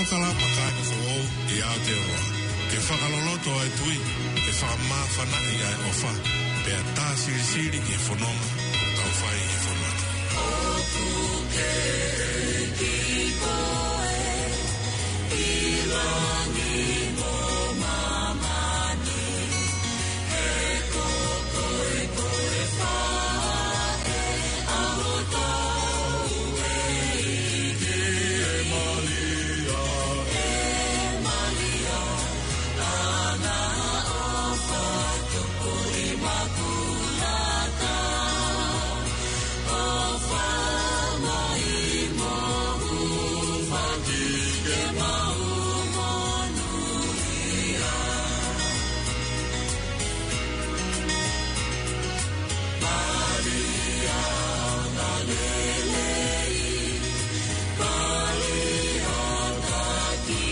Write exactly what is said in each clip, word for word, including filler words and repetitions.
Kalama kāinga foʻou ʻi Aotearoa. Ke fakaloloto ʻa e tui, ke fakamāfanaʻi ʻa e ʻofa, pea tā silisili ki he fononga ʻoku tau fai ʻi he fonua ni. ʻOku ke ʻEiki koe ʻi langi mo māmani, he ko koe ko e faʻē ʻa hotau ʻEiki. ʻE Malia, ʻe Malia, ʻa e ʻofa tupu ʻimakulata, ʻofa mai mo hūfaki ke mau monūʻia. Malia, ʻa e lelei, Malia, takimuʻa,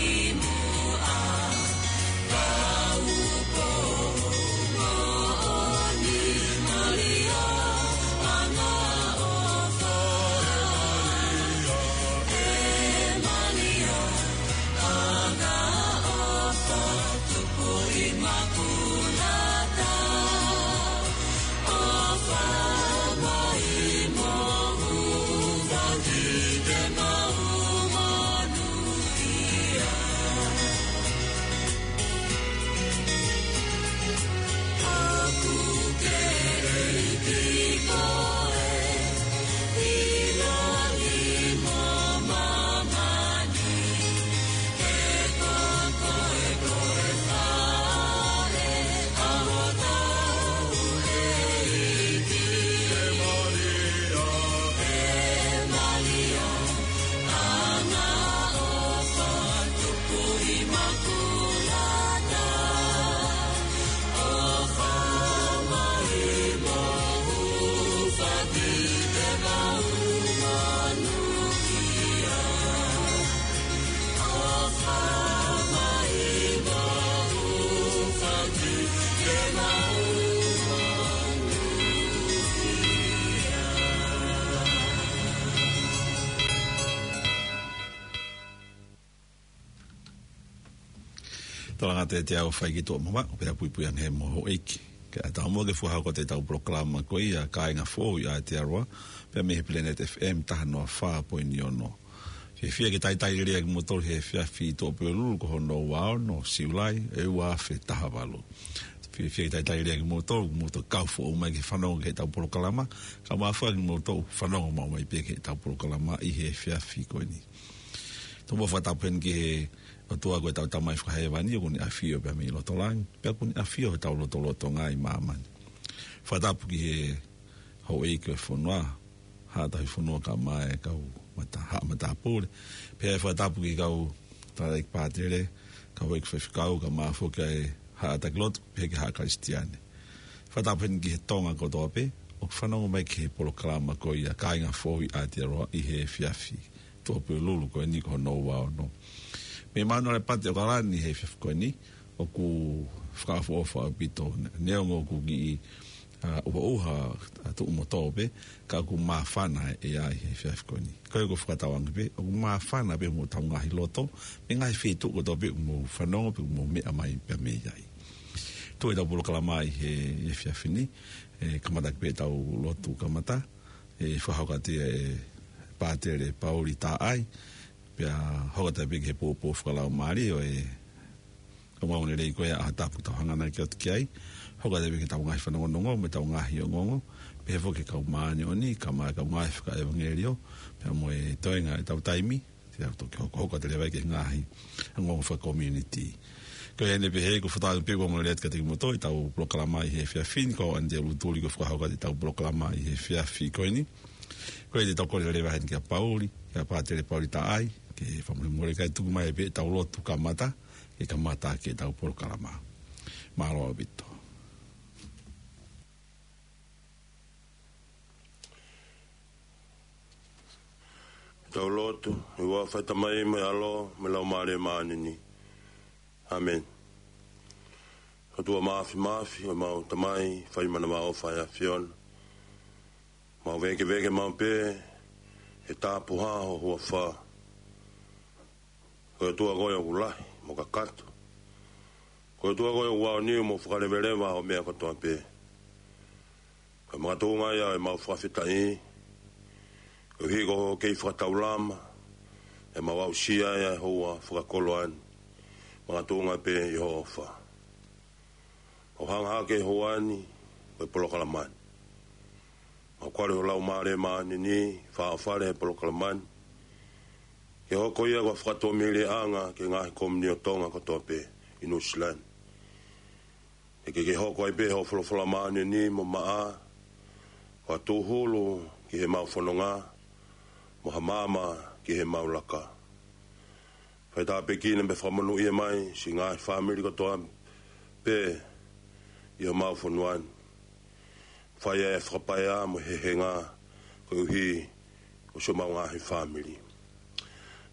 Tolanga te te au fai ki tuʻa mama, pea puipui ange mo houʻeiki. Ke ʻatā mo ke fakahoko atu ʻetau polokalama ko ia kāinga foʻou ʻi Aotearoa, pea mei he Planet F M taha noa fā poini ono. Fiefia ke talitali lelei kimoutolu he efiafi ʻi Tuʻapulelulu ko hono ua ono Siulai, ʻe ua afe taha valu. Fiefia ke talitali lelei kimoutolu, kimoutolu kau foʻou mai ke fanongo ki heʻetau polokalama, kae ʻumaʻā foki kimoutolu fanongo maʻu mai pē ki heʻetau polokalama ʻi he efiafi ko eni. Tau mo fakatapu heni ki he ʻOtua ko ʻetau Tamai fakahēvani, ʻoku ne ʻafio pea mei loto langi, pea ʻoku ne ʻafio heʻetau lotolotonga ʻi māmani. Fakatapu ki he houʻeiki ʻo e fonua, Haʻa Tauhi Fonua kae ʻumaʻā e kau mata-, haʻa matāpule. Pea fakatapu ki he kau tangataʻeiki pātele, kau ʻeiki faifekau, kae ʻumaʻā foki e haʻa taki lotu, pehē ki he haʻa Kalisitiane. Fakatapu heni ki he Tonga kotoa pē ʻoku fanongo mai ki he polokalama ko ia kāinga foʻou ʻi Aotearoa ʻi he efiafi Tuʻapulelulu ko eni ko hono ua ono. Mei Manurewa pē ʻo Kalani he efiafi ko eni, ʻoku fakaʻofoʻofa ʻaupito, neongo ʻoku kiʻi, ʻa, ʻuhaʻuha, ʻa, tuʻu mo tō pē, ka ʻoku māfana e ʻea ʻi he efiafi ko eni. Ko ia ʻoku ou fakatauange pē, ʻoku māfana pē homou ngaahi loto, mei he ngaahi feituʻu kotoa pē ʻoku mou fanongo, pe ʻoku mou meʻa mai pē mei ai. Tuʻu ʻetau polokalama ʻi he, he efiafi ni, ʻe kamata ʻaki pē ʻetau lotu kamata, ʻe fakahoko atu ia ʻe Pātele Pauli Taʻai, pea hoko atu pē ki he poupou fakalaumālie ʻo e ongoongolelei ko ia ʻa e ʻaho Tapu ʻoku tau hanganaki atu ki ai, hoko atu pē ki heʻetau ngaahi fanongonongo, mo ʻetau ngaahi ongoongo, pehē foki ki he kau māʻoniʻoni, kae ʻumaʻā e kau ngāue fakaʻevangeliō, pea mo e toenga ʻetau taimi, te tau toki hokohoko atu leva ki he ngaahi ongoongo fakakomiunitī. Ko ia ʻeni pē he ʻoku ou fakatauange pē ʻoku mālie atu kiate kimoutolu ʻetau polokalama ʻi he efiafi ni, ko au Anite Lutuli ʻoku ou fakahoko atu ʻetau polokalama ʻi he efiafi ko eni. Ko ia te tau kole leva heni kia Pauli, kia Pātele Pauli Taʻai, ke fakamolemole kae tuku mai pē ʻetau lotu kamata, ke kamata ʻaki ʻetau polokalama. Mālō ʻaupito. Tau lotu. ʻI he huafa ʻo e Tamai mo e ʻAlo mo e Laumālie Māʻoniʻoni. ʻĀmeni. ʻOtua māfimafi, ʻemau Tamai, fai manavaʻofa ʻa e ʻAfiona. Mau vēkeveke maʻu pē he tapuhā ho huafa. Ko e ʻOtua koe ʻoku lahi mo kakato. Ko e ʻOtua koe ʻoku aoniu mo fakaleveleva ʻo meʻa kotoa pē. Ko e makatuʻunga ia ʻemau fakafetaʻi, koeʻuhi ko hoʻo kei fakataulama, ʻemau aʻusia ia ʻi he houa fakakoloa ni, makatuʻunga pē ʻi hoʻo ʻofa. ʻO hanga hake he houa ni, ko e polokalama ni. Mau kole ho Laumālie Māʻoniʻoni, fāʻofale he polokalama ni. Ke hoko ia ko e fakatuʻamelie ʻanga ki he ngaahi komiunitī Tonga kotoa pē ʻi Nuʻusila ni. Ke ke hoko ai pē hoʻo folofola māʻoniʻoni mo maʻa, ko ha tūhulu ki heʻemau fononga, mo ha maama ki heʻemau laka. Fai tāpuekina mo fakamonūʻia mai siʻi ngaahi fāmili kotoa pē ʻi homau fonua ni. Fai ʻa e fakapaea mo e hehenga koeʻuhi ko siʻomau ngaahi fāmili.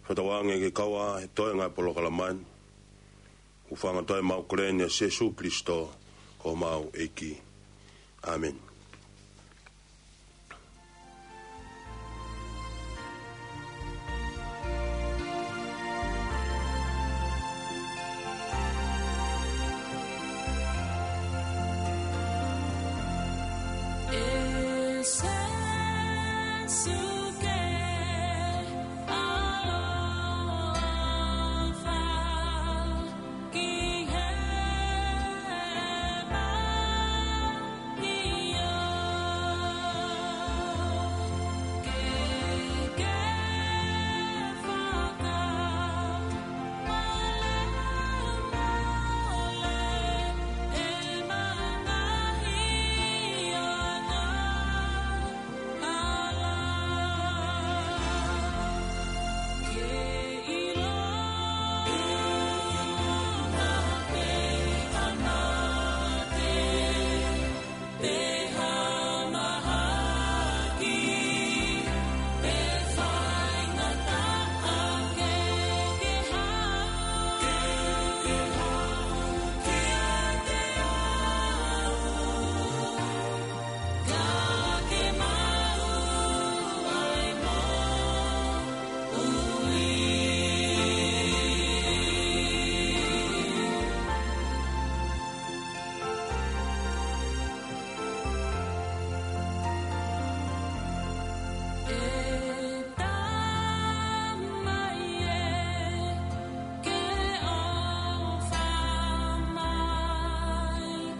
Fakatauange ke kau ā he toenga ʻo e polokalama ni. ʻOku fanga toe mau kole ni ʻia Sīsū Kalaisi ko homau ʻEiki. ʻĀmeni.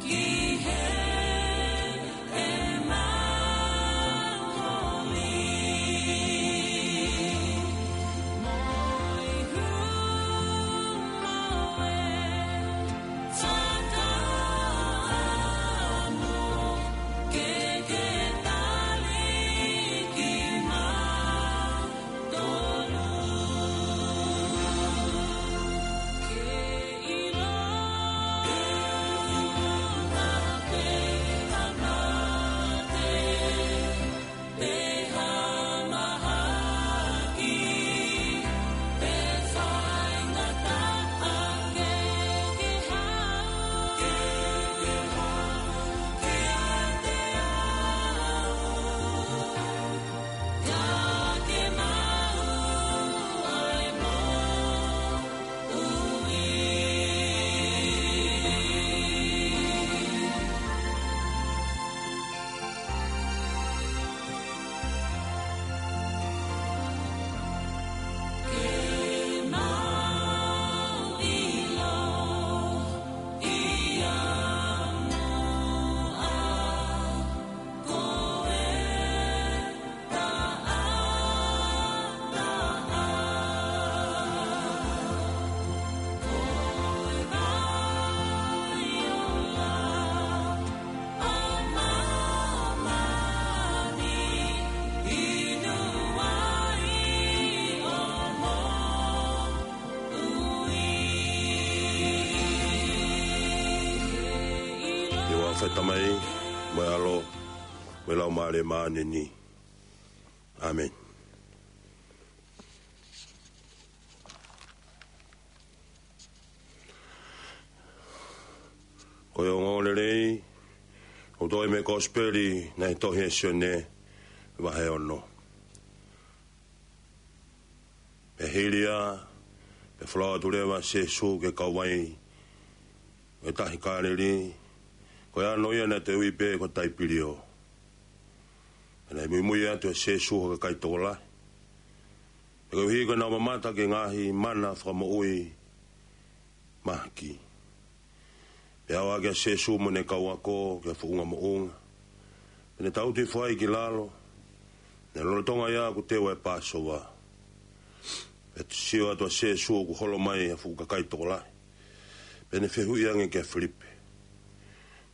ʻI he huafa ʻo e Tamai, mo e ʻAlo, mo e Laumālie Māʻoniʻoni. ʻĀmeni. Ko e ongoongolelei ʻoku toʻo mei he Kosipeli naʻe tohi ʻe Sione, vahe ono. Pea hili ia, Pea folau atu leva ʻa Sīsū ki he kauvai ʻo e Tahi Kāleli, ko e ʻano ia naʻe toe ui pē ko Taipiliō. Pea naʻe muimui atu ʻa Sīsū ha kakai tokolahi. Pea koeʻuhi ko ʻenau mamata ki he ngaahi mana fakamoʻui mahaki. Pea ʻalu hake ʻa Sīsū mo ʻene kau ako ki ha foʻunga moʻunga. Pea ne tangutu hifo ai ki lalo, naʻe lolotonga ia ʻoku teu ʻa e Pāsova. Pea sio atu ʻa Sīsū ʻoku holo mai ha fuʻu kakai tokolahi. Pea ne fehuʻi ange kia Filipe,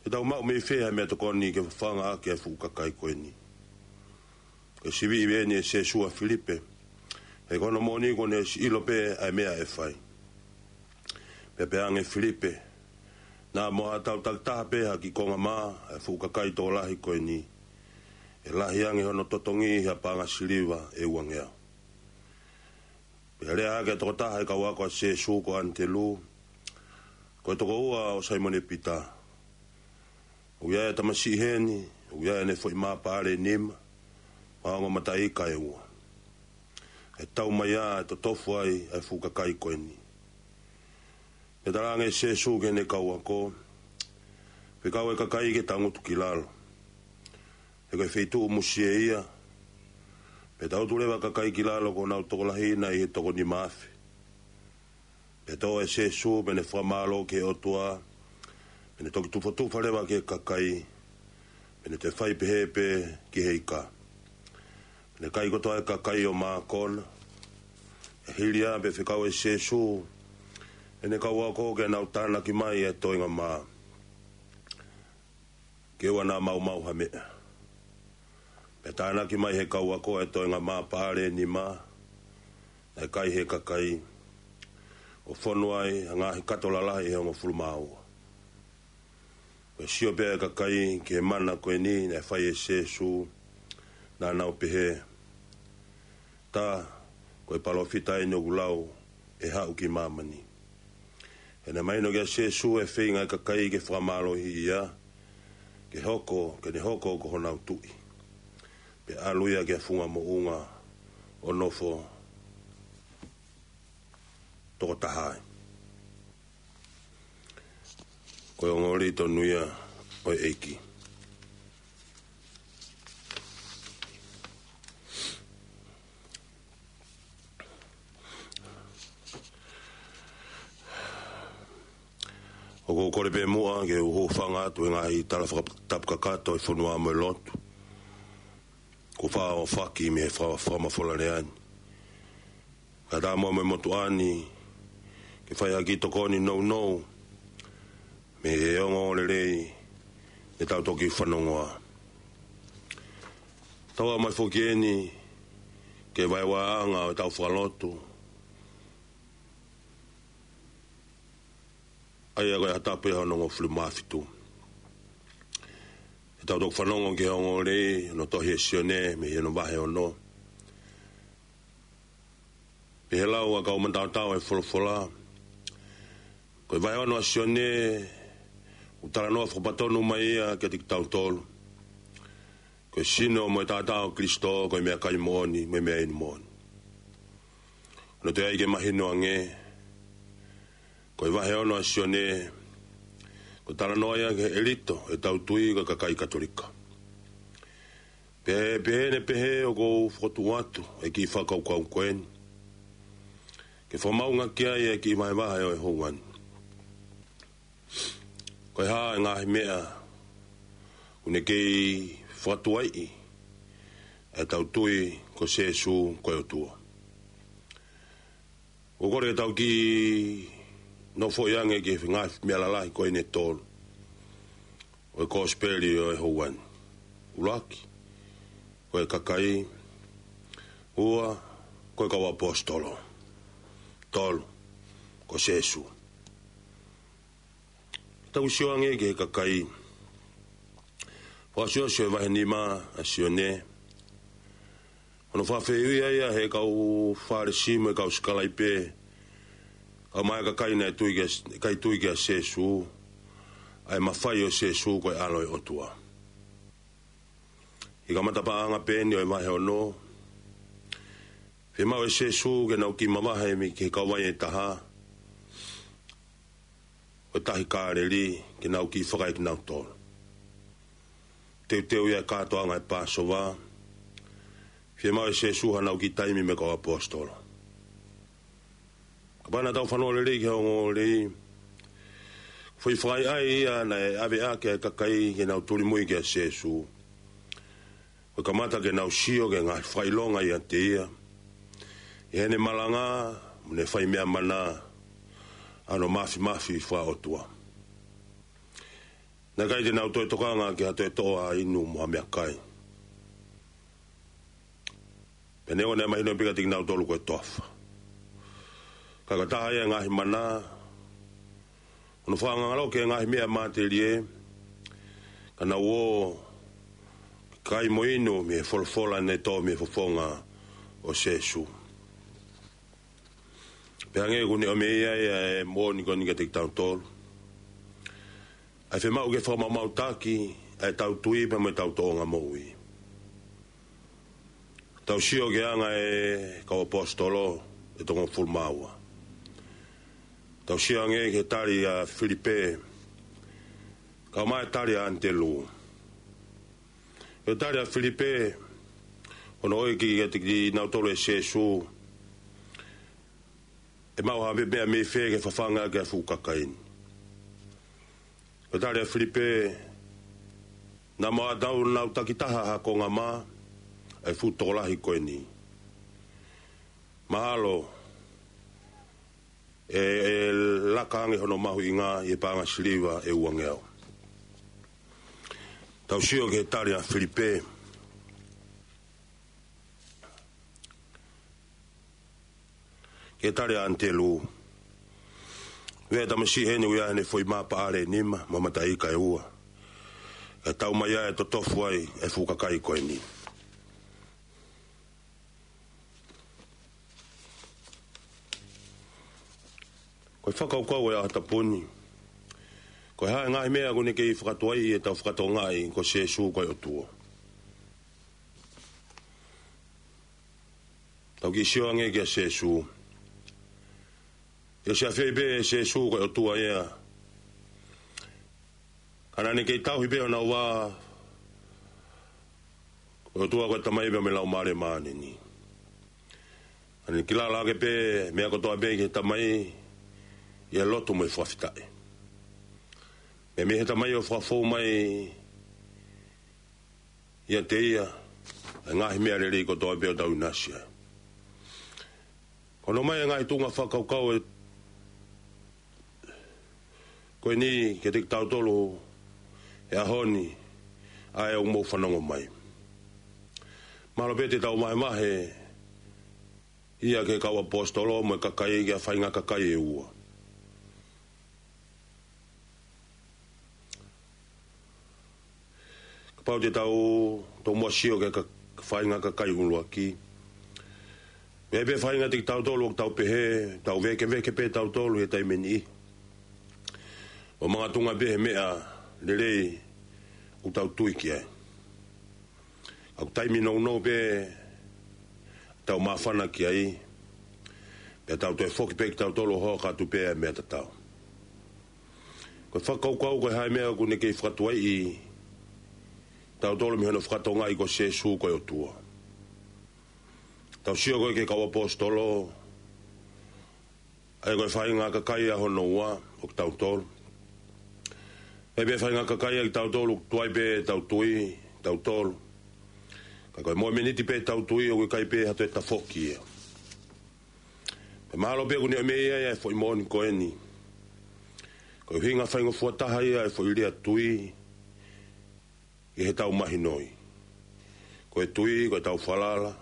Te tau maʻu mei fē ha meʻatokoni ke fafanga ʻaki ʻa e fuʻu kakai ko eni? Ko e siviʻi eni ʻe Sīsū ʻa Filipe, he ko hono moʻoni kuo ne siʻi ʻilo pē ʻa e meʻa ʻe fai. Pea pehē ange ʻe Filipe, Naʻa mo haʻatau takitaha pē ha kiʻi konga mā ʻa e fuʻu kakai tokolahi ko eni, ʻe lahi ange hono totongi ʻi ha paʻanga siliva ʻe uangeau. Pea lea hake ʻa e tokotaha ʻi he kau ako ʻa Sīsū ko ʻAnitelū, ko e tokoua ʻo Saimone Pita. ʻOku ʻi ai ʻa e tamasiʻi heni, ʻoku ʻi ai ʻene foʻi mā paʻale ʻe nima, mo ha ongo mataʻi ika ʻe ua. ʻE tau mai ʻa e totofu ai ʻa e fuʻu kakai ko eni. Pea talaange ʻe Sīsū ki heʻene kau ako, Fekau e kakai ke tangutu ki lalo. He ko e feituʻu musie ia. Pea tangutu leva ʻa e kakai ki lalo ko ʻenau tokolahi na ʻi he toko nima afe. Pea tō ʻa Sīsū, pea ne fakamālō ki he ʻOtua, pea ne toki tufatufa leva ki he kakai, pea ne toe fai pehē pē ki he ika. Pea ne kai kotoa ʻa e kakai ʻo mākona. Pea hili ia pea fekau ʻe Sīsū ʻene kau ako ke nau tānaki mai ʻa e toenga mā, ke ʻoua naʻa maumau ha meʻa. Pea tānaki mai ʻe he kau ako ʻa e toenga mā paʻale ʻe nima naʻe kai ʻe he kakai, ʻo fonu ai ha ngaahi kato lalahi ʻe hongofulu mā ua. Pea sio pē ʻa e kakai ki he mana ko eni naʻe fai ʻe Sīsū, naʻa nau pehē, Tā, ko e palōfita eni ʻoku lau ʻe haʻu ki māmani. He naʻe mahino kia Sīsū ʻa e feinga ʻa e kakai ke fakamālohiʻi ia, ke hoko, ke ne hoko ko honau tuʻi. Pea ʻalu ia ki ha funga moʻunga ʻo nofo toko taha ai. Ko e ongoongolelei tonu ia ʻo e ʻEiki. ʻOku ou kole pē muʻa ke u hūfanga atu he ngaahi tala fakatapu kakato ʻi he fonua mo e lotu kuo faʻa ʻohofaki mei he fa-, fakamafola lea ni. Kae ʻatā muʻa mo e motuʻa ni ke fai ha kiʻi tokoni nounou mei he ongoongolelei ne tau toki fanongoa. Tau ʻomai foki eni ki he vaevaeʻanga ʻo ʻetau fakalotu, ʻa ia ko e ʻaho tapu ʻe hongofulu mā fitu. Te tau toki fanongo ki he ongoongolelei ʻo e tohi ʻa Sione mei hono vahe ono. Pea ʻi he lau ʻa e kau mataotao ʻa e folofola, ko e vahe ono ʻa Sione, ʻoku talanoa fakapatonu mai ia kiate kitautolu. Ko e sino mo e taʻataʻa ʻo Kalaisi, ko e meʻakai moʻoni, mo e meʻainu moʻoni. ʻOku toe ʻai ke mahino ange, ko e vahe ono ʻa Sione, ko e talanoa ia ki he ʻelito ʻo ʻetau tui ko e kakai Katolika. Pea ʻi he pehē ni, pehē ʻoku ou fokotuʻu atu ʻa e kiʻi fakakaukau ko eni, ke fakamaʻunga ki ai ʻa e kiʻi vahevahe ʻo e houa ni. Ko e hā ʻa e ngaahi meʻa ʻoku ne kei fakatuaiʻi ʻa ʻetau tui ko Sīsū ko e ʻOtua? ʻOku ou kole ke tau kiʻi nofoʻi ange ki he ngaahi meʻa lalahi ko eni ʻe tolu ʻo e Kosipeli ʻo e houa ni. ʻUluaki, ko e kakai. Ua, ko e kau ʻaposetolo. Tolu, ko Sīsū. Tau sio ange ki he kakai. Fakaʻosiʻosi ʻo e vahe nima ʻa Sione, hono fakafehuʻia ia ʻe he kau Fālesi mo e kau sikalaipe, kau mai ʻa e kakai naʻe tui kia, ʻikai tui kia Sīsū, ʻa e mafai ʻo Sīsū ko e ʻAlo ʻo e ʻOtua. ʻI he kamata paʻanga pē eni ʻo e vahe ono, Fiemaʻu ʻe Sēsū ke nau kiʻi mavahe mei he kauvai ʻe taha ʻo e tahi Kāleli, ke nau kiʻi fakaekinautolu. Teuteu ia e kātoanga e Pāsova, fiemaʻu ʻe Sēsū haʻanau kiʻi taimi mo e kau ʻaposetolo. Kapau naʻa tau fanongo lelei ki he ongoongolelei, foʻi fakaʻaiʻai ia naʻe ʻave ʻaki ʻa e kakai ke nau tulimui kia Sēsū. Ko e kamata ke nau sio ki he ngaahi fakaʻilonga ʻiate ia, ʻi heʻene malanga mo ʻene fai meʻa mana, ʻa hono māfimafi fakaʻotua. Naʻe ʻikai te nau toe tokanga ki ha toe toʻo ha inu mo ha meʻakai. Pea neongo naʻe mahino pē kiate kinautolu ko e toafa, ka ko e taha ia e ngaahi mana, hono fakangaloki e ngaahi meʻa matelie, ka nau ō ke kai mo inu mei he folofola ne tō mei he fofonga ʻo Sēsū. Pea hangē kuo ne ʻomai ʻe ia e moʻoni ko eni kiate kitautolu, ʻa e fiemaʻu ke fakamaʻumaʻutaki ʻa ʻetau tui pea mo ʻetau tōʻonga moʻui. Tau sio ki he anga e kau ʻaposetolo ʻe toko hongofulu mā ua. Tau sio ange ki he tali ʻa Filipe, kae ʻumaʻā e tali ʻa ʻAnitelū. Ko e tali ʻa Filipe, hono ʻeke kiate kinautolu ʻe Sēsū, ʻe maʻu ha meʻa mei fē ke fafanga ʻaki ʻa e fuʻu kakai ni. Ko e tali ʻa Filipe, naʻa mo ʻetau nau takitaha ha konga mā ʻa e fuʻu tokolahi ko eni. Mahalo ʻe, ʻe laka ange hono mahuʻinga ʻi he paʻanga siliva ʻe uangeau. Tau sio ki he tali ʻa Filipe. Ki he tali ʻa ʻAnitelū. Ua e tamasiʻi heni ʻoku ʻi ai haʻane foʻi mā paʻale ʻe nima mo e mataʻi ika ʻe ua. Kae tau mai ʻa e totofu ai e fuʻu kakai ko eni. Ko e fakakaukau ʻo e ʻaho tapu ni, ko e hā e ngaahi meʻa ʻoku ne kei fakatuaiʻi ʻetau fakatokangaʻi ko Sēsū ko e ʻOtua? Tau kiʻi sio ange kia Sēsū. ʻE ʻosi ʻafioʻi pē ʻe Sēsū ko e ʻOtua ia, ka naʻa ne kei tauhi pē ʻo nau vā ko e ʻOtua ko e Tamai pea mo e Laumālie Māʻoniʻoni. Naʻa ne kilala ʻaki pē meʻa kotoa pē ki he Tamai ʻi he lotu mo e fakafetaʻi. Pea mei he Tamai ʻoku fakafou mai ʻiate ia ʻa e ngaahi meʻa lelei kotoa pē ʻoku tau ʻinasi ai. Ko hono ʻomai e ngaahi tuʻunga fakakaukau ʻe, ko eni kiate kitautolu he ʻaho ni, ʻa ē ʻoku mou fanongo mai. Mahalo pē te tau vahevahe ia ki he kau ʻaposetolo mo e kakai ki ha faʻahinga kakai ʻe ua. Kapau te tau tomuʻa sio ki he ka-, faʻahinga kakai ʻuluaki, ʻoku ʻi ai pē faʻahinga kiate kitautolu ʻoku tau pehē, tau vēkeveke pē tautolu he taimi ʻe niʻihi, ʻo makatuʻunga pē he meʻa lelei ʻoku tau tui ki ai. ʻOku taimi nounou pē tau māfana ki ai, pea tau toe foki pē kitautolu ʻo hoko atu pē ʻa e meʻa tatau. Ko e fakakaukau ko e hā e meʻa ʻoku ne kei fakatuaiʻi tautolu mei hono fakatokangaʻi ko Sēsū ko e ʻOtua. Tau sio ko ē ki he kau ʻaposetolo, ʻa ia ko e faʻahinga kakai ʻa hono ua ʻo kitautolu. ʻI ai pē faʻahinga kakai ʻa kitautolu ʻoku tuai pē tau tui, tautolu. Ka ko e momeniti pē tau tui ʻoku ʻikai pē ha toe tafoki ia. Pea mahalo pē ʻoku ne ʻomai ʻe ia e foʻi moʻoni ko eni. Ko e ʻuhinga faingofua taha ia e foʻi lea tui, ʻi heʻetau mahinoʻi. Ko e tui, ko ʻetau falala,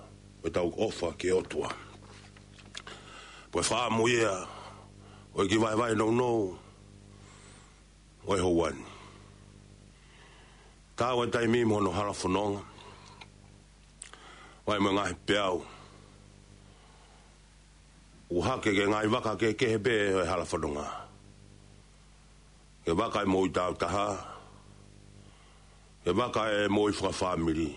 ko ʻetau ʻofa ki he ʻOtua. Ko e fakaʻamu ia ʻo e kiʻi vahevahe nounou ʻo e houa ni. Taau e taimi mo hono hala fononga, ʻo e mo e ngaahi peau, ʻoku hake ki he ngaahi vaka kehekehe pē ʻo e hala fononga. Ki he vaka ʻe moʻui taautaha, ki he vaka ʻe moʻui fakafāmili,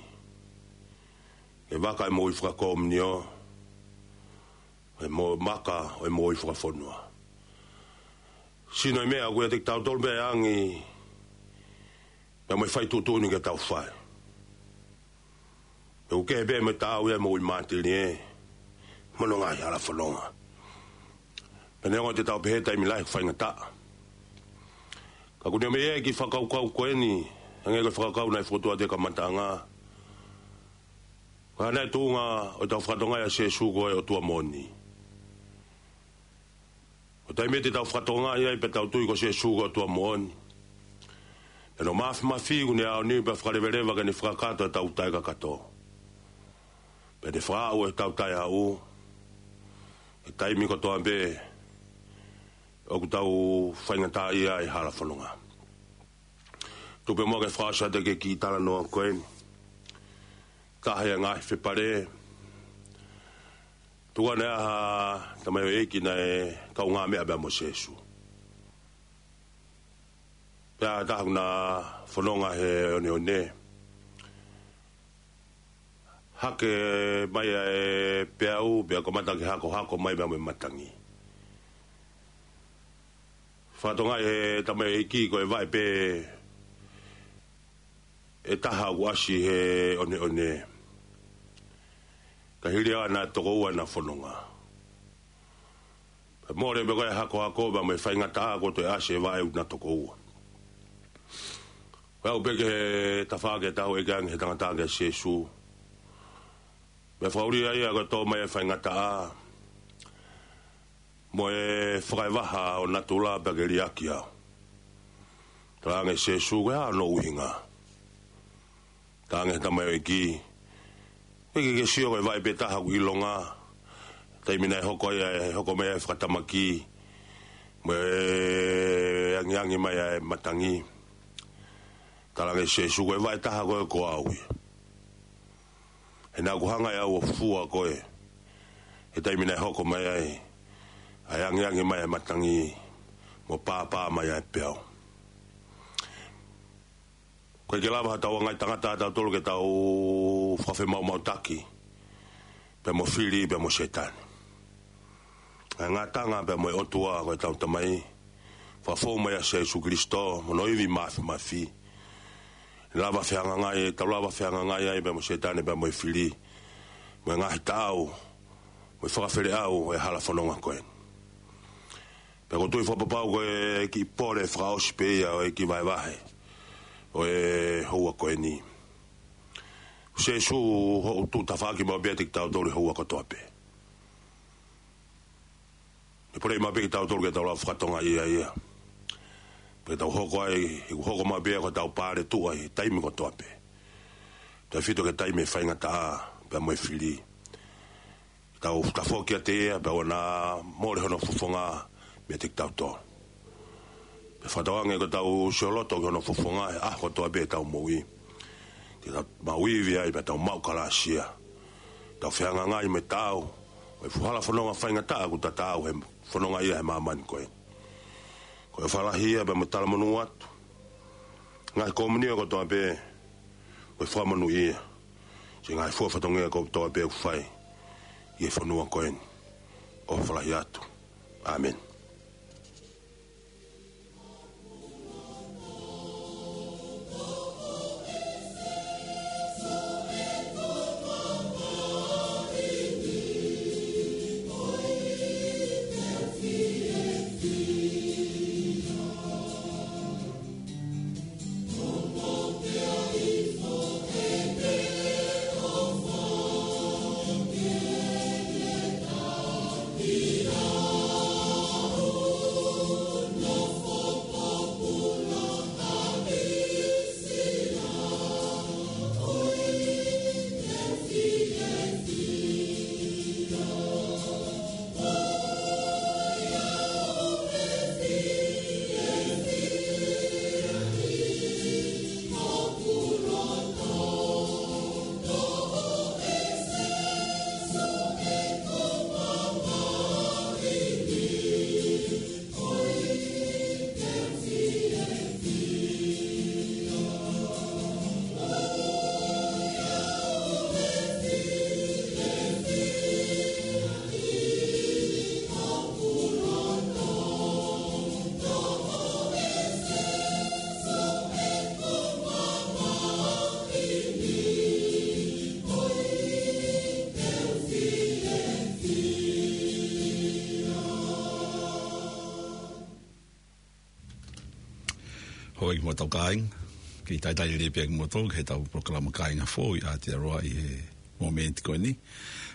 ki he vaka ʻe moʻui fakakomiunio, ʻo e mo-, maka ʻo e moʻui fakafonua. Sino e meʻa ʻoku ʻiate kitautolu pē ʻa e angi, pea mo e fai tuʻutuʻuni ke tau fai. Pea ʻoku kehe pē mo e taau ia ʻa e moʻui mātilie, mo hono ngaahi hala fononga. Pea neongo te tau pehē taimi lahi ʻoku faingataʻa, ka ʻoku ne ʻomai e kiʻi fakakaukau ko eni, hangē ko e fakakaukau naʻe fokotuʻu ʻi he kamataʻanga. Ko e hā nai e tuʻunga ʻo ʻetau fakatokangaʻi ʻa Sīsū ko e ʻOtua moʻoni? Ko e taimi te tau fakatokangaʻi ai pea tau tui ko Sīsū ko e ʻOtua moʻoni, pea ne mafimafi ʻoku ne aoniu pea fakaleveleva ke ne fakakakato ʻetau taʻekakato, pea ne fakaʻau ʻetau taʻehaʻu, ʻi he taimi kotoa pē ʻoku tau faingataʻaʻia ai he hala fononga. Tuku pē muʻa ke fakaʻosi atu e kiʻi talanoa ko eni. Taha ia e ngaahi fepale. Tuku ʻa e ʻaho, tamaioʻeiki naʻe kaungāmeʻa pea mo Sīsū. Pea taha ʻoku na fononga he oneone. Hake mai ʻa e peau, pea kamata ke hakohako mai pea mo e matangi. Fakatokangaʻi ʻe he tamaioʻeiki ko e vaʻe pē ʻe taha ʻoku ʻasi he oneone. Ka hili ia naʻe toko ua ʻena fononga. Pea mole pē ko e hakohako pea mo e faingataʻa kuo toe ʻasi e vaʻe ʻoku na toko ua. Ko e aʻu pē ki he tafaʻaki ʻe taha ʻo e ʻEiki ange he tangata kia Sīsū. Pea fakaʻulia ia ko e tō mai e faingataʻa mo e fakaʻevaha ʻo natula pea ke liʻaki au. Talaange ʻe Sīsū, ko e hā hono ʻuhinga? Talaange ʻe he tamaioʻeiki, ʻoku ʻikai ke ke sio ko e vaʻe pē taha ʻoku ʻilonga, taimi naʻe hoko ai ʻa e, hoko mai ʻa e fakatamaki, mo e angiangi mai ʻa e matangi. Talaange ʻe Sīsū, ko e vaʻe taha ko ē ko au ia. He naʻa ku hanga ʻe au ʻo fua koe he taimi naʻe hoko mai ai ʻa e angiangi mai ʻa e matangi mo pāpā mai ʻa e peau. ʻOku ʻikai ke lava ha tau ngaahi tangata ʻa tautolu ke tau fakafemaumautaki pea mo e fili pea mo Sētane. ʻA e ngataʻanga pea mo e ʻOtua ko ʻetau Tamai, fakafou mai ʻa Sīsū Kilisitō mo hono ivi mafimafi. Lava fehangahangai, tau lava fehangahangai ai pea mo Sētane pea mo e fili, mo e ngaahi taʻau, mo e fakafeleʻau ʻo e hala fononga ko eni. Pea ʻoku ou tui fakapapau ko e kiʻi pole fakaʻosi pē ia ʻo e kiʻi vahevahe ʻo e houa ko eni. Sīsū, hoʻo tuʻu tafaʻaki maʻu pē ʻiate kitautolu he houa kotoa pē. Pea pole maʻu pē kitautolu ke tau lava fakatokangaʻi ia. Pea tau hoko ai, ʻi he hoko maʻu pē ko ʻetau paletuʻa ʻi he taimi kotoa pē. Tautefito ki he taimi ʻe faingataʻa pea mo e fili. Tau tafoki kiate ia, pea ʻoua naʻa mole hono fofonga meiate kitautolu. Pea fakatauange ko ʻetau sio loto ki hono fofonga he ʻaho kotoa pē ʻetau moʻui, te tau maʻu ivi ai pea tau maʻu kalāsia. Tau fehangahangai mo e taʻau ʻo e fuʻu hala fononga faingataʻa ʻoku ta taau he fononga ia he māmani ko ē. Ko e ʻofa lahi ia pea mo e talamonū atu. Ngaahi komunio kotoa pē, ko e fakamonūʻia. Siʻi ngaahi fua fatongia kotoa pē ʻoku fai ʻi he fonua ko eni. ʻOfa lahi atu. ʻĀmeni. Hoi ki mo tau kāinga, ke talitali lelei pē kimoutolu ki heʻetau polokalama Kāinga Foʻou ʻi Aotearoa ʻi he momeniti ko eni.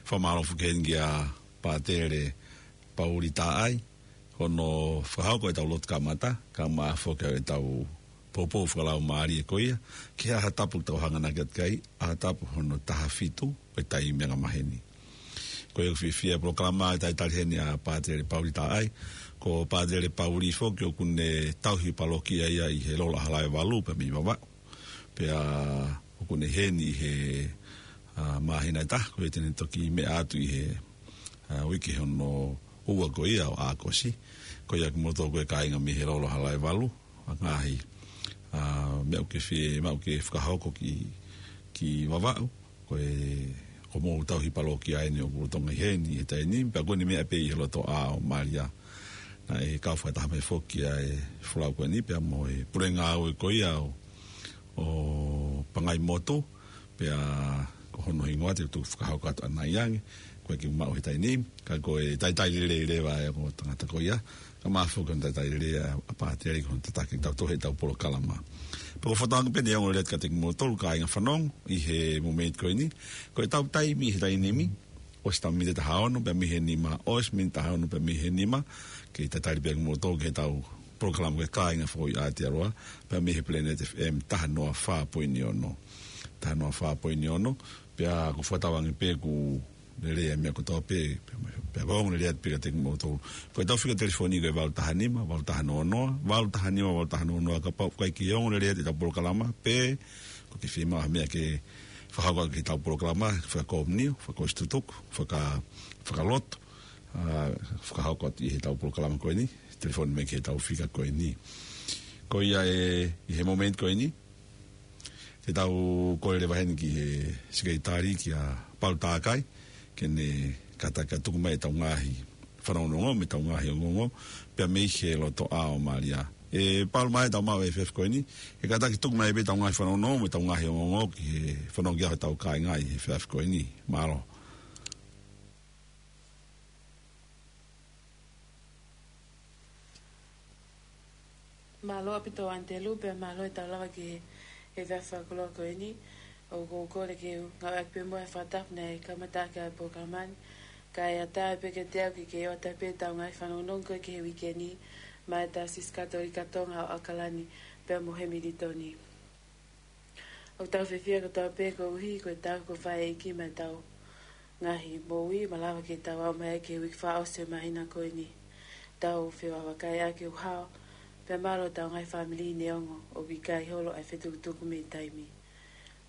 Fakamālō foki heni kia Pātele Pauli Taʻai, hono fakahoko ʻetau lotu kamata, kae ʻumaʻā foki ʻetau poupou fakalaumālie ko ia, ki he ʻaho tapu ʻoku tau hanganaki atu ki ai, ʻaho tapu hono taha fitu ʻo e taimi angamaheni. Ko ia ʻoku fiefia polokalama ʻa e talitali heni ʻa Pātele Pauli Taʻai. Ko Pātele Pauli foki ʻoku ne tauhi palokia ia ʻi he Lolo ʻAhalae Valu pea mei Vavaʻu. Pea ʻoku ne ʻi heni ʻi he, ʻa, māhina ʻe taha, ko ia te ne toki meʻa atu ʻi he, ʻa, uike hono ua ko ia ʻo ʻAokosi. Ko ia kimoutolu ko e kāinga mei he Lolo ʻAhalae Valu, ʻa e ngaahi, ʻa, meʻa ʻoku ke fie, meʻa ʻoku ke fakahoko ki, ki Vavaʻu. Ko e, ko hoʻomou tauhi palokia eni ʻoku lolotonga ʻi heni he taimi ni, pea ko eni meʻa pē ʻi he lotoʻā ʻo Malia. Naʻe kau fakataha mai foki ʻa e folau ko eni, pea mo e pulenga ʻo e ko ia ʻo, ʻo Pangaimotu, pea ko hono hingoa te u tuku fakahoko atu ʻanai ange, ko e kiʻi maʻu he taimi ni, ka ko e talitali lelei leva ʻa e ongo tangata ko ia, kae ʻumaʻā foki hono talitali lelei ʻa, ʻa Pātele ki hono tataki kitautolu heʻetau polokalama. Pea ko e fakatauange pē ʻe ongo lelei atu kiate kimoutolu kāinga fanongo ʻi he momeniti ko eni, ko ʻetau taimi he taimi ni, ʻosi ʻetau miniti ʻe taha ono pea mei he nima, ʻosi miniti ʻe taha ono pea mei he nima, ke talitali pē kimoutolu ki heʻetau polokalama ko e Kāinga Foʻou ʻi Aotearoa, pea mei he Planet F M taha noa fā poini ono. Taha noa fā poini ono, pea ʻoku ou fakatauange pē ʻoku lelei ʻa e meʻa kotoa pē, pea, pea ʻoku ongo lelei atu pē kiate kimoutolu. Ko ʻetau fika telefoni ko e valu taha nima, valu taha noa noa, valu taha nima, valu taha noa noa, kapau ʻoku ʻikai ke ongo lelei atu ʻetau polokalama, pe ʻoku ke fiemaʻu ha meʻa ke fakahoko ki heʻetau polokalama, fakakomiunitī, fakaʻosi tutuku, faka-, fakalotu, ʻa, fakahoko atu ʻi heʻetau polokalama ko eni, telefoni mai ki heʻetau fika ko eni. Ko ia ē, ʻi he momeniti ko eni, te tau kole leva heni ki he sekelitali kia Palu Takai, ke ne kātaki ʻo tuku mai ʻetau ngaahi fanongonongo, mo ʻetau ngaahi ongoongo, pea mei he lotoʻā ʻo Malia. ʻE Palu, mai tau maʻu e efiafi ko eni, ke kātaki tuku mai pē ʻetau ngaahi fanongonongo, mo ʻetau ngaahi ongoongo, ki he fanongo ki ai hotau kāinga ʻi he efiafi ko eni. Mālō. Mālō ʻaupito Antelu, pea mālō e tau lava ki he, he efiafi fakakoloa ko eni. ʻOku ou kole ke u ngāueʻaki pē muʻa e fakatapu naʻe kamata ʻaki ʻa e polokalama ni. Kae ʻatā pē kiate au ke, ke ʻoatu pē ʻetau ngaahi fanongonongo ko ē ki he uike ni, maʻa e Taʻasisi Katolika Tonga ʻo ʻAokalani, pea mo Hemilitoni. ʻOku tau fiefia kotoa pē koeʻuhi ko e tau ko fai ʻEiki maʻa ʻetau ngaahi moʻui, malava ke tau aʻu mai ki he uike fakaʻosi ʻo e māhina ko eni. Tau fevahevaheʻaki ʻetau hao, pea mālō ʻetau ngaahi fāmili neongo ʻoku ʻikai holo ʻa e fetukutuku mei taimi.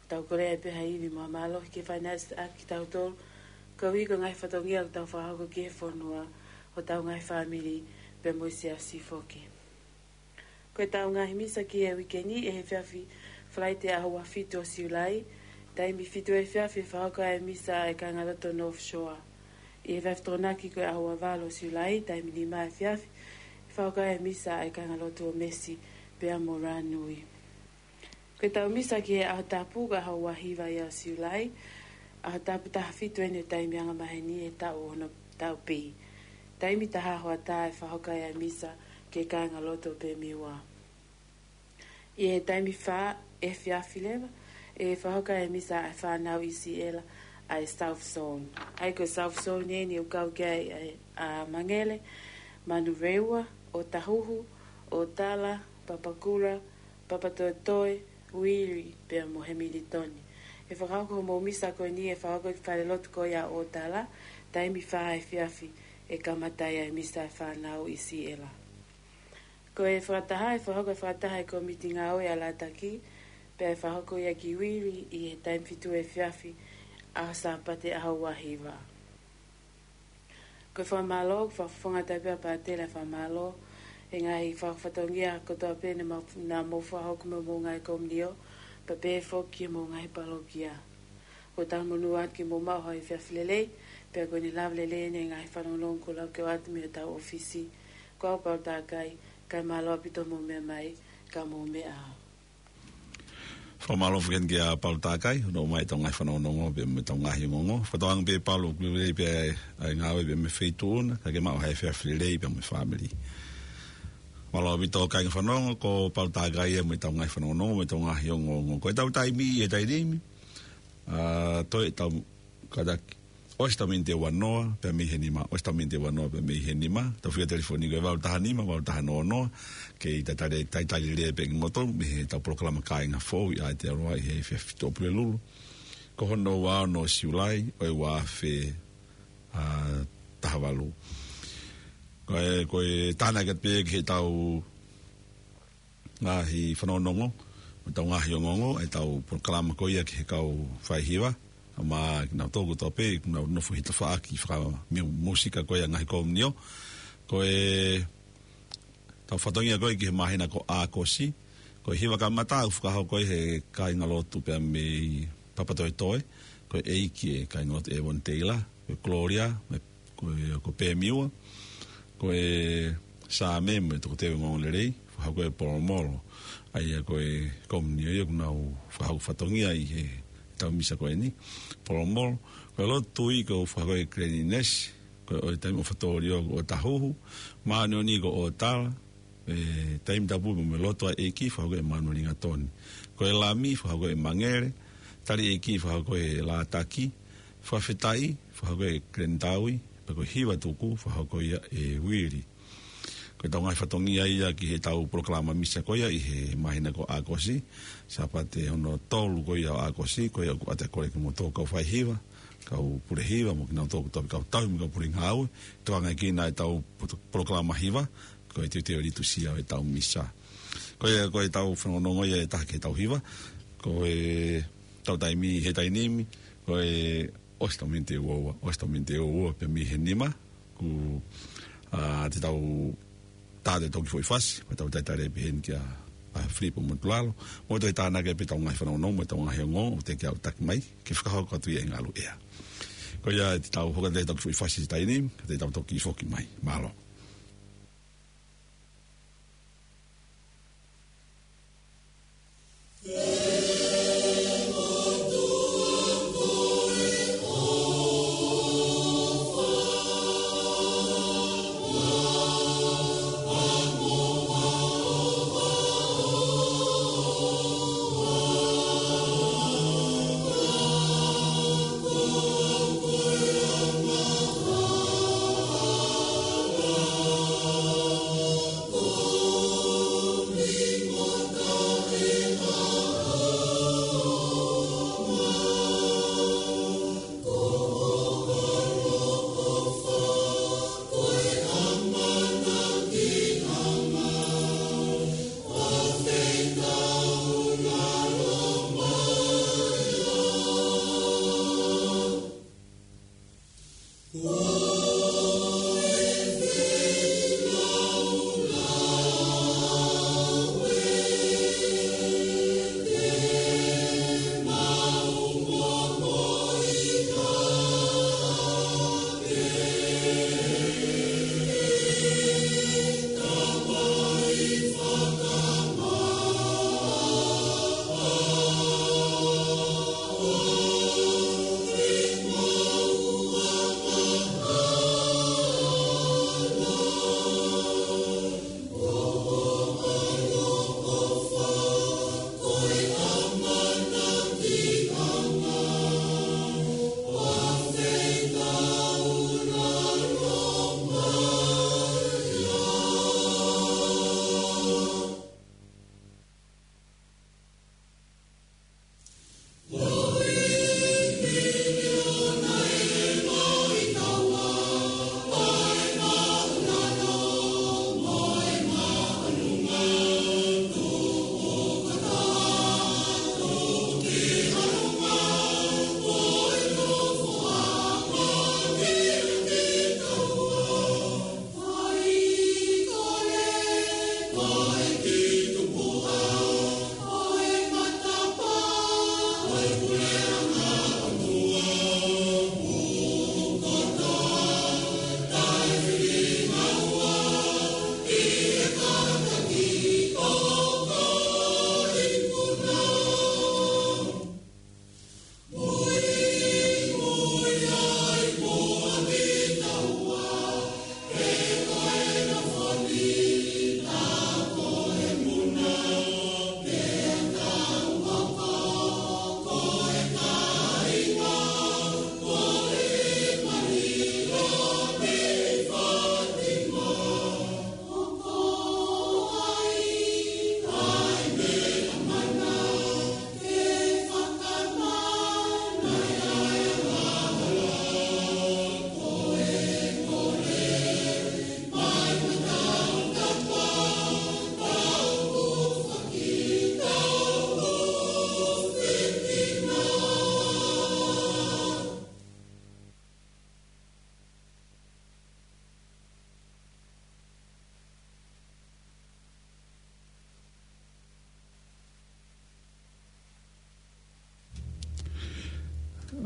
Tau kole ai pē ha ivi mo e mālō ke fai naʻa ʻaki kitautolu, koeʻuhi ko e ngaahi fatongia ʻoku tau fakahoko ki he fonua, hotau ngaahi fāmili, pea mo e siasi foki. Ko ʻetau ngaahi misa ki he uike ni, ʻi he efiafi Falaite ʻaho ua fitu ʻo Siulai, taimi fitu efiafi ʻe fakahoko ai e misa ʻa e kāingalotu North Shore. ʻI he efiafi Tokonaki ko e ʻaho ua valu ʻo Siulai, taimi nima efiafi, ʻe fakahoko ai e misa ʻa e kāingalotu ʻo Mercy, pea mo Rānui. Ko ʻetau misa ki he ʻaho tapu, ko e ʻaho ua hiva ia ʻo Siulai, ʻaho tapu taha fitu eni ʻo e taimi angamaheni he taʻu hono taʻu B. Taimi taha hoʻatā ʻe fakahoko ai e misa ki he kāingalotu ʻo Pemiua. ʻI he taimi fā efiafi leva, ʻe fakahoko ai e misa ʻa e fānau ʻi Siʻela ʻa e South Zone. ʻA ia ko e South Zone eni ʻoku kau ki ai ʻa, ʻa Mangele, Manurewa, ʻOtahuhu, ʻOtala, Papakura, Papatoetoe, Uili, pea mo Hemilitoni. ʻE fakahoko hoʻomou misa ko eni ʻe fakahoko ʻi he falelotu ko ia ʻo ʻOtala, taimi fā efiafi ʻe kamata ai e misa ʻa e fānau ʻi Siʻela. Ko e fakataha, ʻe fakahoko e fakataha ʻa e kōmiti ngāue ʻa Lataki, pea ʻe fakahoko ia ki Uili ʻi he taimi fitu efiafi, ʻaho Sāpate ʻaho ua hiva. Ko e fakamālō, ko e fakafofonga atu pē ʻa Pātele e fakamālō, he ngaahi fakafatongia kotoa pē naʻa mou, naʻa mou fakahoko mei hoʻomou ngaahi komiunitī, pea pehē foki ki homou ngaahi palokia. ʻOku tau monū atu ke mou maʻu ha efiafi lelei, pea ko ʻene lava lelei eni e ngaahi fanongonongo kuo lau ke ʻoatu mei hotau ʻōfisi. Ko au Palu Takai, kae mālō ʻaupito hoʻomou meʻa mai, ka mou meʻa ā. Fakamālō foki heni kia Palu Takai, hono ʻomai ʻetau ngaahi fanongonongo pea mo ʻetau ngaahi ongoongo. Fakatauange pē Palu ʻoku lelei pē ʻa e, ʻa e ngāue pea mo e feituʻu na, ka ke maʻu ha efiafi lelei pea mo e fāmili. Mālō ʻaupito kāinga fanongo, ko Paul Takai ia mo ʻetau ngaahi fanongonongo, mo ʻetau ngaahi ongoongo. Ko ʻetau taimi ʻi he taimi ni, ʻa, toe ʻetau kātaki ʻosi ʻetau miniti ua noa pea mei he nima, ʻosi ʻetau miniti ua noa pea mei he nima. Tau fika telefoni ko e valu taha nima, valu taha noa noa, ke talitali, talitali lelei pē kimoutolu mei heʻetau polokalama Kāinga Foʻou ʻi Aotearoa ʻi he efiafi Tuʻapulelulu. Ko hono ua ono ʻo Siulai, ʻo e ua afe, ʻa, taha valu. Ko e, ko e tānaki atu pē ki heʻetau ngaahi fanongonongo, mo ʻetau ngaahi ongoongo, ʻetau polokalama ko ia ki he kau faihiva, ʻa, mo kinautolu kotoa pē ʻoku nau nofo he tafaʻaki fakamiu-, mūsika ko ia ngaahi komiunio. Ko ʻetau fatongia ko ia ki he māhina ko ʻAokosi, ko e hiva kamata ʻoku fakahoko ʻe he kāingalotu pea mei Papatoetoe, ko e ʻEiki ʻa e Kāingalotu ʻEvoni Teila, ko e Kolōlia, mo e ko e, ko Pēmiua, ko e Saame mo e Tokoteu Ongoongolelei, fakahoko ʻe Polomolo. ʻA ia ko e komiunio ia ʻoku nau fakahoko fatongia ʻi heʻetau misa ko eni, Polomolo. Ko e Lotu Tui ʻoku fakahoko ʻe Kileni Nesi, ko e ʻOi Taimi ʻOfa Tōliō ko ʻOtahuhu, Māʻoniʻoni ko ʻOtala, e Taimi Tapu mo e Lotu ʻa e ʻEiki, fakahoko ʻe Manueli Gatoni. Ko e Lami, fakahoko ʻe Mangele, Tali ʻEiki, fakahoko ʻe Lātaki, Fakafetaʻi, fakahoko ʻe Kileni Taui, pea ko e Hiva Tuku, fakahoko ia ʻe Uili. Ko ʻetau ngaahi fatongia ia ki heʻetau polokalama misa ko ia ʻi he māhina ko ʻAokosi, Sāpate hono tolu ko ia ʻo ʻAokosi, ko ia ʻoku ʻoatu e kole kimoutolu kau faihiva, kau pule hiva, mo kinautolu kotoa pē kau tauhi mo e kau pule ngāue, tokanga ki heʻetau poto-, polokalama hiva, ko e teuteu litusia ʻo ʻetau misa. Ko ia, ko ʻetau fanongonongo ia ʻe taha ki heʻetau hiva, ko ʻetau taimi he taimi ni, ko e ʻosi ʻetau miniti ua ua, ʻosi ʻetau miniti ua ua pea mei he nima, kuo, ʻa, te tau tā atu e toki foʻi fasi, mo ʻetau talitali pē heni kia, ʻa, Filipo Motulalo, mo toe tānaki pē ʻetau ngaahi fanongonongo, mo ʻetau ngaahi ongoongo, ʻoku teʻeki ke u taki mai, ke fakahoko atu ia ʻi he ngaluʻea. Ko ia te tau hoko atu e toki foʻi fasi he taimi ni, ka te tau toki foki mai. Mālō.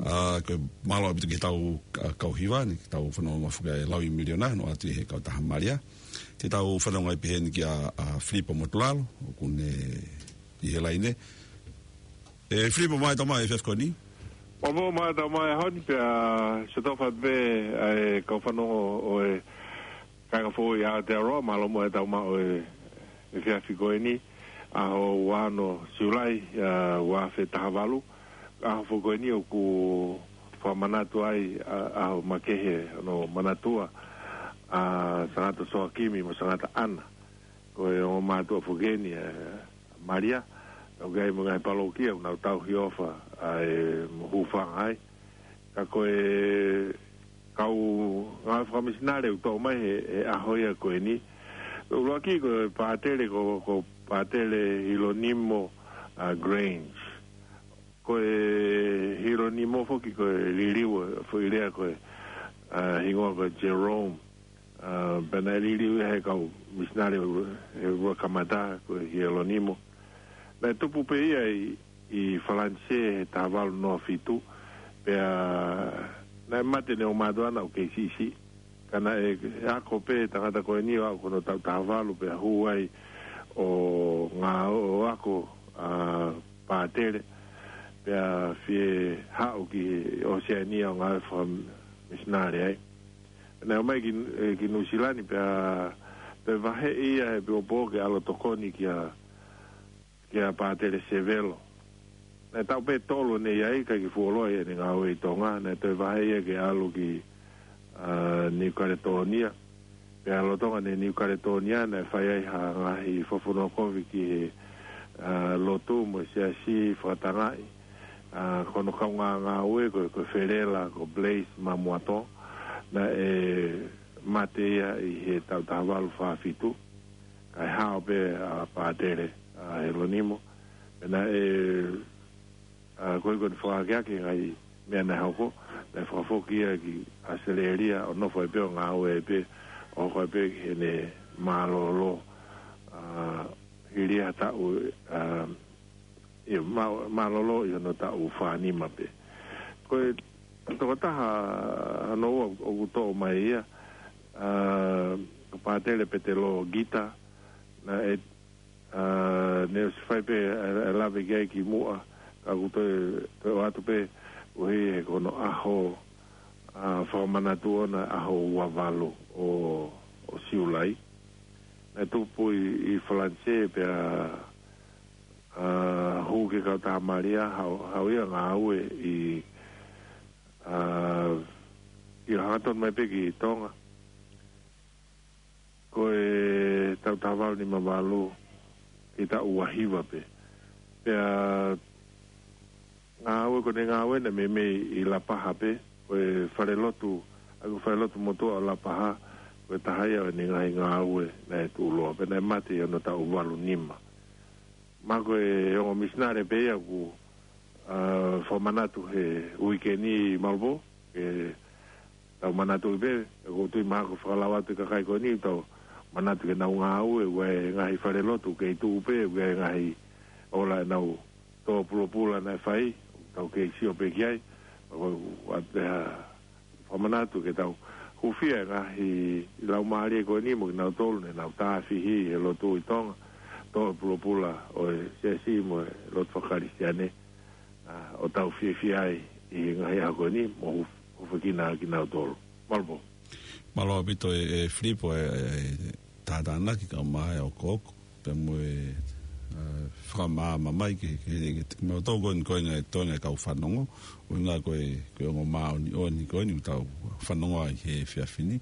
ʻA, ko e mālō ʻaupito ki he tau, ʻa, kau hiva ni, ke tau fanongo mai foki ʻa e Laui Miliona, ʻo ʻoatu ʻe he Kautaha Malia. Te tau fanongo ai pē heni kia, ʻa, Filipo Motulalo, ʻoku ne ʻi he laine. ʻE, Filipo, mālō e tau mai he efiafi ko eni. Mālō, mālō e tau mai he ʻaho ni pea, ʻa, sio tau fai pē, ʻa e kau fanongo ʻo e kāinga foʻou ʻi Aotearoa, mālō muʻa e tau mai ʻo e, efiafi ko eni, ʻaho ua ono Siulai, ʻa, ua afe taha valu. ʻAho foʻou ko eni ʻoku fakamanatu ai, ʻa, ʻaho makehe, ʻo Manatua, ʻa, Sangata Soakimi mo Sangata ʻAna. Ko e ongo mātuʻa foʻou ko eni, ʻa, Malia, ʻoku ʻi ai mo e ngaahi palōkia, ʻoku nau tauhi ʻofa, ʻa, ʻe mo hūfanga ai. Ka ko e kau ngāue fakamisinale ʻoku toʻo mai he, he ʻaho ia ko eni. ʻUluaki ko e pātele ko, ko Pātele Hilonimo, ʻa, Grange. Ko e Hilonimo foki ko e liliu, foʻi lea ko e, ʻa, hingoa ko Jerome. ʻA, pea naʻe liliu ia he kau misinale he ua kamata ko Hilonimo. Naʻe tupu pē ia ʻi, ʻi Falanisē he taha valu noa fitu, pea naʻe mate ʻene ongo mātuʻa ʻana ʻoku kei siʻisiʻi. Ka naʻe ako pē tangata ko eni ʻo aʻu ki hono taʻu taha valu pea hū ai ʻo ngā-, ʻo ako, ʻa, pātele, pea fie haʻu ki ʻOseania ʻo ngāue fakamisinale ai. Naʻe ō mai ki, ʻe, ki Nuʻusila ni pea toe vaheʻi ia he pio pō ke ʻalu ʻo tokoni kia, kia Pātele Sevelo. Naʻe taʻu pē ʻe tolu ʻene ʻi ai, ʻikai ke fuoloa ia ʻene ngāue ʻi Tonga, naʻe toe vaheʻi ia ke ʻalu ki, ʻa, Niu Kaletōnia. Pea lolotonga ʻene Niu Kaletōnia, naʻe fai ai ha ngaahi fakafonua kovi ki he, ʻa, lotu mo e siasi fakatangaʻi. ʻA, ko hono kaungā ngāue ko, ko Felela, ko Blaise Mamuato, naʻe mate ia ʻi he taʻu taha valu fā fitu. Kae hao pē ʻa Pātele, ʻa, Hilonimo. Pea naʻe, ʻa, ko e, ko ʻene fakaakeake ngaahi meʻa naʻe hoko, naʻe fakafoki ia ki ʻAositelēlia, ʻo nofo ai pē ʻo ngāue ai pē, ʻo hoko ai pē ki heʻene mālōlō, ʻa, hili ha taʻu, ʻa, ʻi mā-, mālōlō ʻi hono taʻu fā nima pē. Ko e tokotaha hono ua ʻoku toʻo mai ia, ʻa, ko Pātele Petelo Gita, naʻe, ʻa, ne ʻosi fai pē ʻa e, ʻa e lave ki ai kimuʻa, ka ʻoku toe, toe ʻoatu pē, ʻuhi he ko hono ʻaho, ʻa, fakamanatu ʻona ʻaho ua valu ʻo, ʻo Siulai. Naʻe tupu ʻi, ʻi Falanisē pea, ʻa, hū ki he Kautaha Malia, haʻu, haʻu ia ʻo ngāue ʻi, ʻa, ʻi he hangatonu mai pē ki Tonga. Ko e taʻu taha valu nima valu, ki he taʻu ua hiva pē. Pea ngāue ko ʻene ngāue naʻe meimei ʻi Lapaha pē, ko e falelotu, ʻa, ko e falelotu motuʻa ʻo Lapaha, ko e taha ia ʻo ʻene ngaahi ngāue naʻe tuʻuloa, pea naʻe mate ʻi hono taʻu valu nima. Mahalo ko e ongo misinale pē ia ʻoku, ʻa, fakamanatu he uike ni Malvo, ke tau manatu pē, ʻoku ou tui mahalo ko e fakalau atu e kakai ko eni, tau manatu ke nau ngāue, ʻoku ʻi ai e ngaahi falelotu kei tuʻu pē, ʻoku ʻi ai e ngaahi ola ʻenau tō pulopula naʻe fai, tau kei sio pē ki ai, ʻoku ʻoatu pē ha fakamanatu ke tau hūfia e ngaahi laumālie ko eni mo kinautolu ne nau tāfihi he lotu ʻi Tonga, tō pulopula ʻo e siasi mo e lotu fakakalisitiane, ʻa, ʻo tau fiefia ai ʻi he ngaahi ʻaho ko eni, mo hu-, hufekina kinautolu. Malvo. Mālō ʻaupito ʻe, ʻe Filipo e, e, e tātānaki kae ʻumaʻā e ʻokoʻoko. Pea mo e, ʻa, fakamaama mai ke, ke, ke, ke, mo tau ko eni ko e ngaahi, tau ngaahi kau fanongo. ʻUhinga ko e, ko e ongo māʻoniʻoni ko eni ʻoku tau fanongo ai he efiafi ni.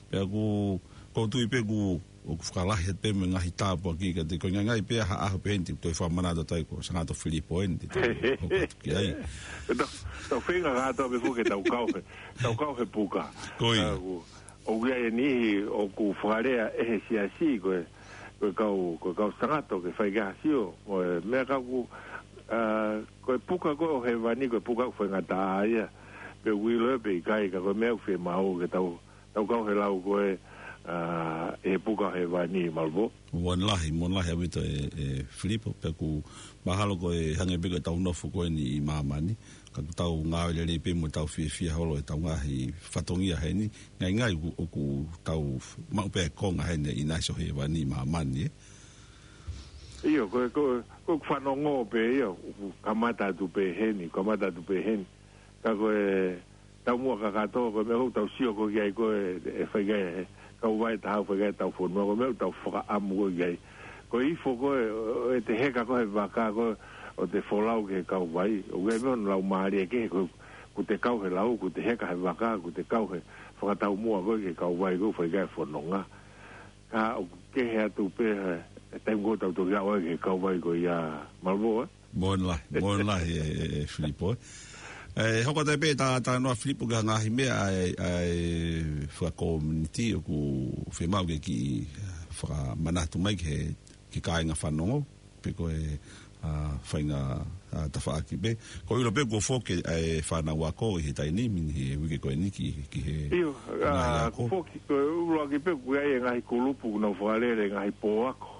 Pea ʻoku, ʻoku ou tui pē ʻoku, ʻoku fakalahi atu pē mo e ngaahi tāpuaki kiate koe, ngaahi pē ha ʻaho pē eni te u toe fakamanatu atu ai ko Sangata Filipo eni te tau hoko atu ki ai. Tau, tau feinga kātoa pē foki ke tau kau he, tau kau he puka. Ko ia. ʻA, ʻoku, ʻoku ʻi ai e niʻihi ʻoku fakalea ʻe he siasi ko e, ko e kau, ko e kau sangato ke fai ki ai ha sio. Ko e meʻa ka ʻoku, ʻa, ko e puka ko ē ʻo hēvani, ko e puka ʻoku faingataʻa ia. Pe ʻoku ʻilo ia pe ʻikai, ka ko e meʻa ʻoku fiemaʻu ke tau, tau kau he lau ko ē, ʻa, ʻe he puka ʻo hēvani, Malvo. Moʻoni lahi, moʻoni lahi ʻaupito ē, ē Filipo, pea ʻoku mahalo ko e hangē pē ko ʻetau nofo ko eni ʻi māmani, ka ʻoku tau ngāue lelei pē mo tau fiefia holo ʻetau ngaahi fatongia heni, ngaingai ʻoku, ʻoku tau maʻu pē ʻa e konga heni ʻi he nasi ʻo hēvani ʻi māmani, ē. ʻIo, ko e, ko e, ko e fanongo pē ia, ʻoku kamata atu pē heni, kamata atu pē heni. Ka ko e taumuʻa kakato, ko e meʻa ʻoku tau sio ko ē ki ai ko e, ʻe fai ki ai ʻe he kauvai ʻe taha, fai ki ai ʻetau fonua, ko e meʻa ʻoku tau fakaʻamu ko ē ki ai. Ko e ifo ko ē, ʻo, ʻete heka ko ē he vaka ko ē, ʻo te folau ki he kauvai. ʻOku ʻi ai e meʻa ʻoku laumālie kehe ko ē, ʻoku te kau he lau, ʻoku te heka he vaka, ʻoku te kau he fakataumuʻa ko ē ki he kauvai ko ē, fai ki ai e fononga. Ka ʻoku kehe atu pē he, he taimi ko ē ʻoku tau toki aʻu ai ki he kauvai ko ia, Malvo, ē? Moʻoni lahi, moʻoni lahi ē, ē, ē Filipo, ē. ʻE, hoko atu pē ʻeta, ʻeta talanoa Filipo ki he ngaahi meʻa ʻa e, ʻa e fakakominiti ʻoku fiemaʻu ke kiʻi fakamanatu mai ki he, ki he kāinga fanongo, pe ko e, ʻa, faʻahinga, ʻa, tafaʻaki pē. ʻOku ou ʻilo pē kuo foki ʻa e fānau ako ʻi he taimi ni, he uike ko eni ki, ki he ʻIo, ngaahi ʻa, ako. Kuo foki, ko e ʻuluaki pē ʻoku ʻi ai e ngaahi kulupu ʻoku nau fakalele e ngaahi pō ako.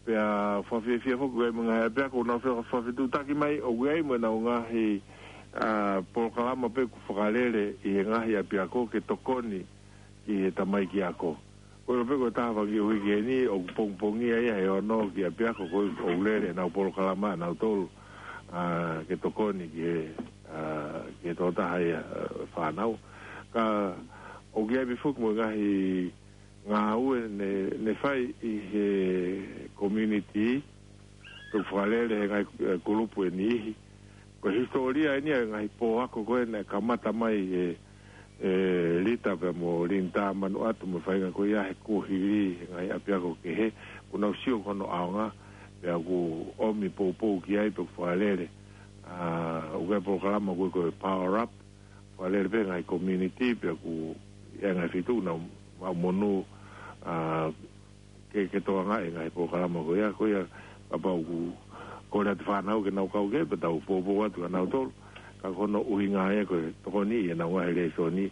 Pea fakafiefia foki ʻoku ʻi ai mo e ngaahi ʻapiako ʻoku nau faka-, fakafetuʻutaki mai, ʻoku ʻi ai mo ʻenau ngaahi, ʻa, polokalama pē ʻoku fakalele ʻi he ngaahi ʻapiako ke tokoni ki he tamaiki ako. Ko e ʻilo pē ko e taha fanga kiʻi uike ni, ʻoku pongipongia ia he ono ki he ʻapiako ko ē ʻoku lele ʻenau polokalama ʻanautolu, ʻa, ke tokoni ki he, ʻa, ki he tokotaha ia, ʻa, fānau. Ka ʻoku ʻi ai pē foki mo e ngaahi ngāue ne, ne fai ʻi he community, ʻoku fakalele he ngaahi, ʻe, kulupu ʻe niʻihi. Ko e hisitōlia eni ʻa e ngaahi pō ako ko ē naʻe kamata mai ʻe, ʻe Lita pea mo Linda Manuʻatu mo e faʻahinga ko ia he kuohili he ngaahi ʻapiako kehe, ʻoku nau sio ki hono ʻaonga, pea ʻoku ʻomi poupou ki ai pea ʻoku fakalele. ʻA, ʻoku ʻi ai e polokalama ko ē ko e Power Up, fakalele pē he ngaahi community, pea ʻoku ʻi ai e ngaahi feituʻu ʻoku nau maʻu monū, ʻa, ke, ke tokangaʻi e ngaahi polokalama ko ia, ko ia kapau ʻoku kole atu e fānau ke nau kau ki ai, pea tau poupou atu kia nautolu, ka ko hono ʻuhinga ia ko e tokoniʻi ʻenau ngaahi lēsoni,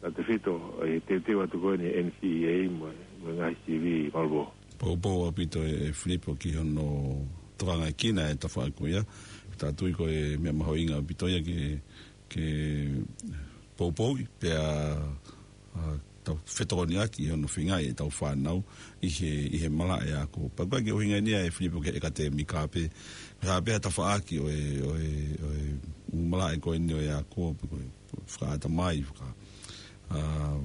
tautefito ʻi he teuteu atu ko eni ʻa e N C E A mo, mo e ngaahi sivi, Malvo. Poupou ʻaupito ē, ē Filipo ki hono tokangaʻi kina e tafaʻaki ko ia, ʻoku ou tui ko e meʻa mahuʻinga ʻaupito ia ke, ke poupouʻi, pea, ʻa, tau fetokoniʻaki ʻi hono feingaʻi ʻetau fānau ʻi he, ʻi he malaʻe ako. Pea ko e kiʻi ʻuhinga eni ia ē Filipo ki he ʻekatēmika pē, hā pē ha tafaʻaki ʻo e, ʻo e, ʻo e ʻū malaʻe ko eni ʻo e ako, pe ko e fakaʻatamai, faka-, ʻa,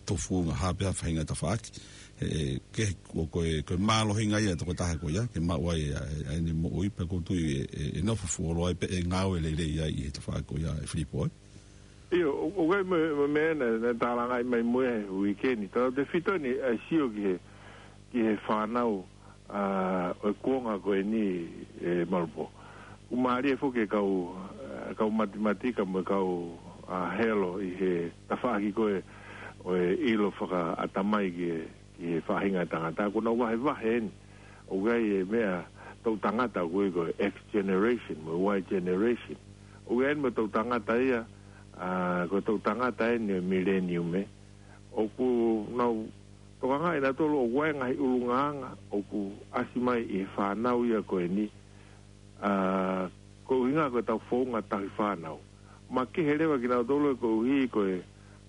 tufunga, hā pē ha faʻahinga tafaʻaki. He, he, ke, ko, ko e, ko e mālohinga ia ʻa e tokotaha ko ia, ke maʻu ai ʻa e, ʻa ʻene moʻui, pea ʻoku ou tui ʻe, ʻe, ʻe nofo fuoloa ai pē ʻe ngāue lelei ai ʻi he tafaʻaki ko ia ē Filipo, ē? ʻIo, ʻo, ʻoku ʻi ai mo e, mo e meʻa naʻe, naʻe tālangaʻi mai mo e uike ni. Tautefito eni ʻa e sio ki he, ki he fānau, ʻa, ʻo e kuonga ko eni ē Malvo. ʻOku mālie foki e kau, ʻa, kau matematika mo e kau, ʻa, helo ʻi he tafaʻaki ko ē ʻo e ʻilo fakaʻatamai ki he, ki he faʻahinga ʻo e tangata. ʻOku nau vahevahe eni. ʻOku ʻi ai e meʻa toʻu tangata ʻoku ui ko e X generation, mo e Y generation. ʻOku ʻi ai mo e toʻu tangata ia, ʻa, ko e toʻu tangata eni ʻo e mileniume. ʻOku nau tokangaʻi nautolu ʻoku ʻi ai e ngaahi ʻulungaanga ʻoku ʻasi mai ʻi he fānau ia ko eni, ʻa, ko e ʻuhinga ko ʻetau founga tauhi fānau. Makehe leva kinautolu ē koeʻuhi ko e,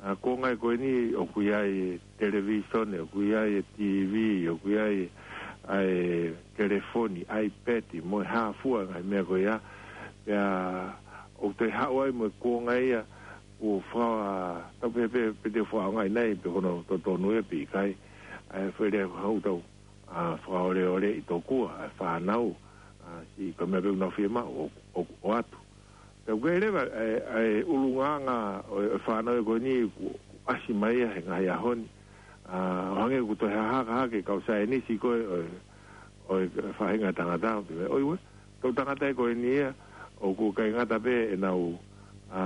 ʻa, kuonga ia ko eni ʻoku ʻi ai e televīsone, ʻoku ʻi ai e T V, ʻoku ʻi ai e, ʻa e telefoni, iPad, mo e hā fua e ngaahi meʻa ko ia. Pea ʻoku toe haʻu ai mo e kuonga ia, ʻoku faka-, tau pehē pē, pe te u fakaʻaongaʻi nai, pe ko hono totonu ia pe ʻikai. ʻA e fele hau tau, ʻa, fakaoleoleʻi tokua ʻa e fānau, ʻa, siʻi ko e meʻa pē ʻoku nau fiemaʻu ʻo, ʻo, ʻoatu. Pea ʻoku ʻi ai leva ʻa e, ʻa e ʻulungaanga ʻo e, ʻo e fānau ia ko eni ʻoku, ʻoku ʻasi mai ia he ngaahi ʻaho ni. ʻA, ʻo hangē ʻoku toe hahaka hake e kau saienisi ko ē ʻo e, ʻo e faʻahinga ʻo e tangata, ʻo pehē mai, ʻoiauē, toʻu tangata ia ko eni ia, ʻoku ʻikai ngata pē ʻenau, ʻa,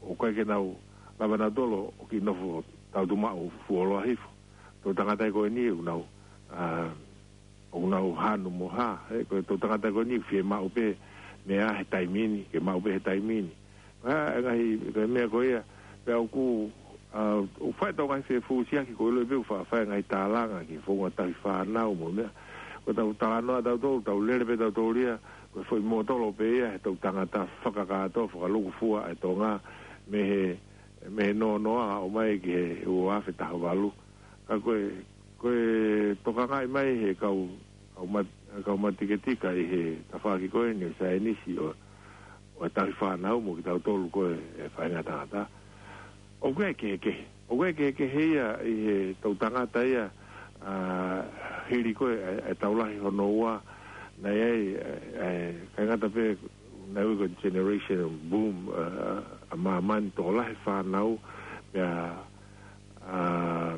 ʻoku ʻikai ke nau lava nautolu ʻo kiʻi nofo tautumaʻu fuoloa hifo. Toʻu tangata ia ko eni ʻoku nau, ʻa, ʻoku nau hanu mo hā, ē, ko e toʻu tangata ko eni fiemaʻu pē meʻa he taimi ni, ke maʻu pē he taimi ni. Ko e hā e ngaahi, ko e meʻa ko ia, pea ʻoku ʻA, ʻoku fai ʻetau ngaahi fefusiaki, ʻoku ou ʻilo pē ʻoku fa-, fai e ngaahi tālanga ki he founga tauhi fānau mo e meʻa. Ko ʻetau talanoa tautolu, tau lele pē tautolu ia, ko e foʻi mōtolo pē ia, he ʻetau tangata fakakātoa, fakalūkufua e Tonga, mei he, mei he noa noa, ʻo aʻu mai ki he ua afe taha valu. Ka ko e, ko e tokangaʻi mai he kau, kau mat-, kau matiketika ʻi he tafaʻaki ko eni ʻo e saienisi ʻo, ʻo e tauhi fānau mo kitautolu ko e, e faʻahinga tangata. ʻOku ʻi ai e kehekehe. ʻOku ʻi ai e kehekehe ia ʻi heʻetau tangata ia, ʻa, hili ko e, e, e tau lahi hono ua, naʻe ʻi ai, e, e, ʻikai ngata pē, naʻe ui ko e generation boom, ʻa, ʻa māmani, tokolahi fānau, pea, ʻa,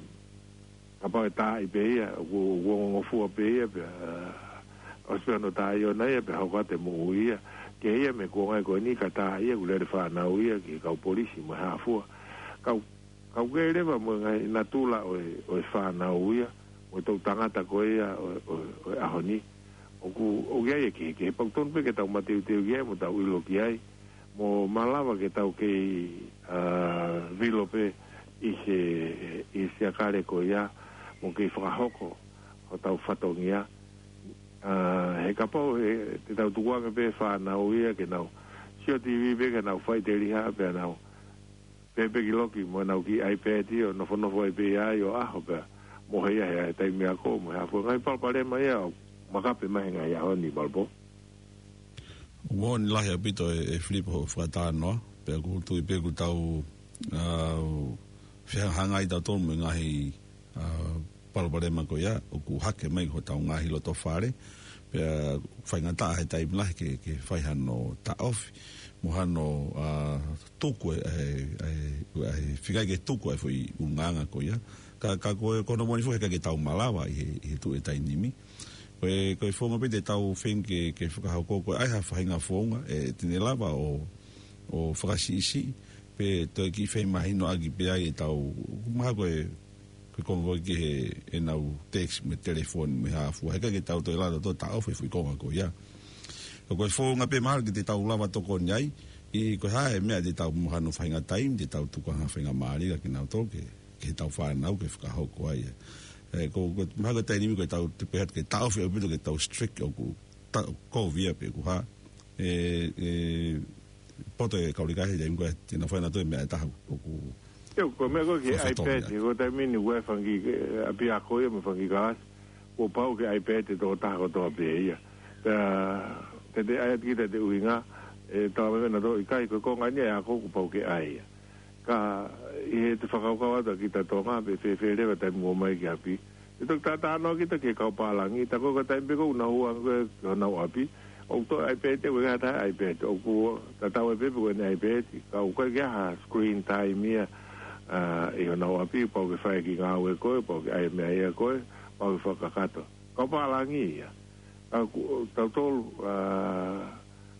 kapau ʻe tā ai pē ia, ʻoku, ʻoku ongongofua pē ia, pea, ʻa, ʻosi pē hono tā ʻiʻona ia, pea hoko atu e moʻui ia. Kehe ia mei he kuonga ko eni ka tā ia, ʻoku lele fānau ia ki he kau polisi mo e hā fua. Kau, kau kei leva mo e ngaahi natula ʻo e, ʻo e fānau ia, mo e toʻutangata ko ia ʻo, ʻo, ʻo e ʻaho ni. ʻOku, ʻoku ʻi ai e kehekehe, pea ʻoku tonu pē ke tau mateuteu ki ai, mo tau ʻilo ki ai, mo malava ke tau kei, ʻa, vilo pē ʻi he, ʻi he siakale ko ia, mo kei fakahoko hotau fatongia. ʻA, he kapau he, te tau tukuange pē fānau ia ke nau sio TV pē ke nau faʻiteliha pē nau pēpē ki loki mo nau kiʻi iPad ʻo nofonofo ai pē ai ʻo ʻaho pea mohe ia he taimi ako mo e hā fua, ngaahi palopalema ia ʻoku makape mai he ngaahi ʻaho ni, Malpo. Moʻoni lahi ʻaupito e, e Filipo hoʻo fakatalanoa, pea ʻoku ou tui pē ʻoku tau, ʻa, fehangahangai tautolu mo e ngaahi, ʻa, palopalema ko ia, ʻoku hake mai hotau ngaahi loto fale, pea faingataʻa he taimi lahi ke, ke fai hano taʻofi, mo hano, ʻa, tuku e, e, e, e, fika ke tuku e foʻi ʻulungaanga ko ia. Ka, ka ko e, ko hono moʻoni foki he ʻikai ke tau malava ʻi he, ʻi he tuʻu e taimi ni. Ko e, ko e founga pē te tau feinga ke, ke fakahoko ko e ʻai ha faʻahinga founga, ʻe, te ne lava ʻo, ʻo fakasiʻisiʻi, pe toe kiʻi femahinoʻaki pē ai ʻetau, mahalo ko e, ko e konga ko ē ki he, ʻenau text mo e telefoni mo e hā fua. He ʻikai ke tau toe lava ʻo taʻofi e foʻi konga ko ia. Ka ko e founga pē mahalo ke te tau lava tokoni ai, ʻi ko e hā e meʻa te tau mo hano faʻahinga taimi, te tau tuku ha faʻahinga mālie kia kinautolu ke, ke tau fānau ke fakahoko ai. ʻE, ko, ko, mahalo ko e taimi ko ē tau te pehē ke taʻofi ʻaupito ke tau strict ʻoku ta-, kovi ia pe ʻoku hā. ʻE, ʻe, poto e kau lika he taimi ko ē, te nau fai nautolu e meʻa ʻe taha ʻoku. ʻIo, ko e meʻa ko ē ki he iPad, ko e taimi ni ʻoku ʻi ai e fanga kiʻi, ʻe, ʻapiako ia mo e fanga kiʻi kalasi, kuo pau ke iPad e tokotaha kotoa pē ia. Pea, te te ʻai atu kita e ʻuhinga, ʻe, tau meʻa nautolu ʻikai, ko e konga ni e ako kuo pau ke ʻai ia. Ka, ʻi heʻete fakakaukau atu ʻa kita Tonga, pe fēfē leva e taimi ʻoku ō mai ki ʻapi. ʻE toki talanoa kita ki he kau pālangi, tā ko e taimi pē ko ē ʻoku nau hū ange ko ē ki honau ʻapi, ʻoku toe iPad, ʻoku ʻikai ha taha iPad, ʻoku tatau ai pē pe ko ʻene iPad, ka ʻoku ʻikai ke ʻi ai ha screen time ia, ʻa, ʻi honau ʻapi, pau ke fai e kiʻi ngāue ko ē, pau ke ʻai e meʻa ia ko ē, pau ke fakakakato. Kau pālangi ia. ʻA, ʻoku, tautolu, ʻa,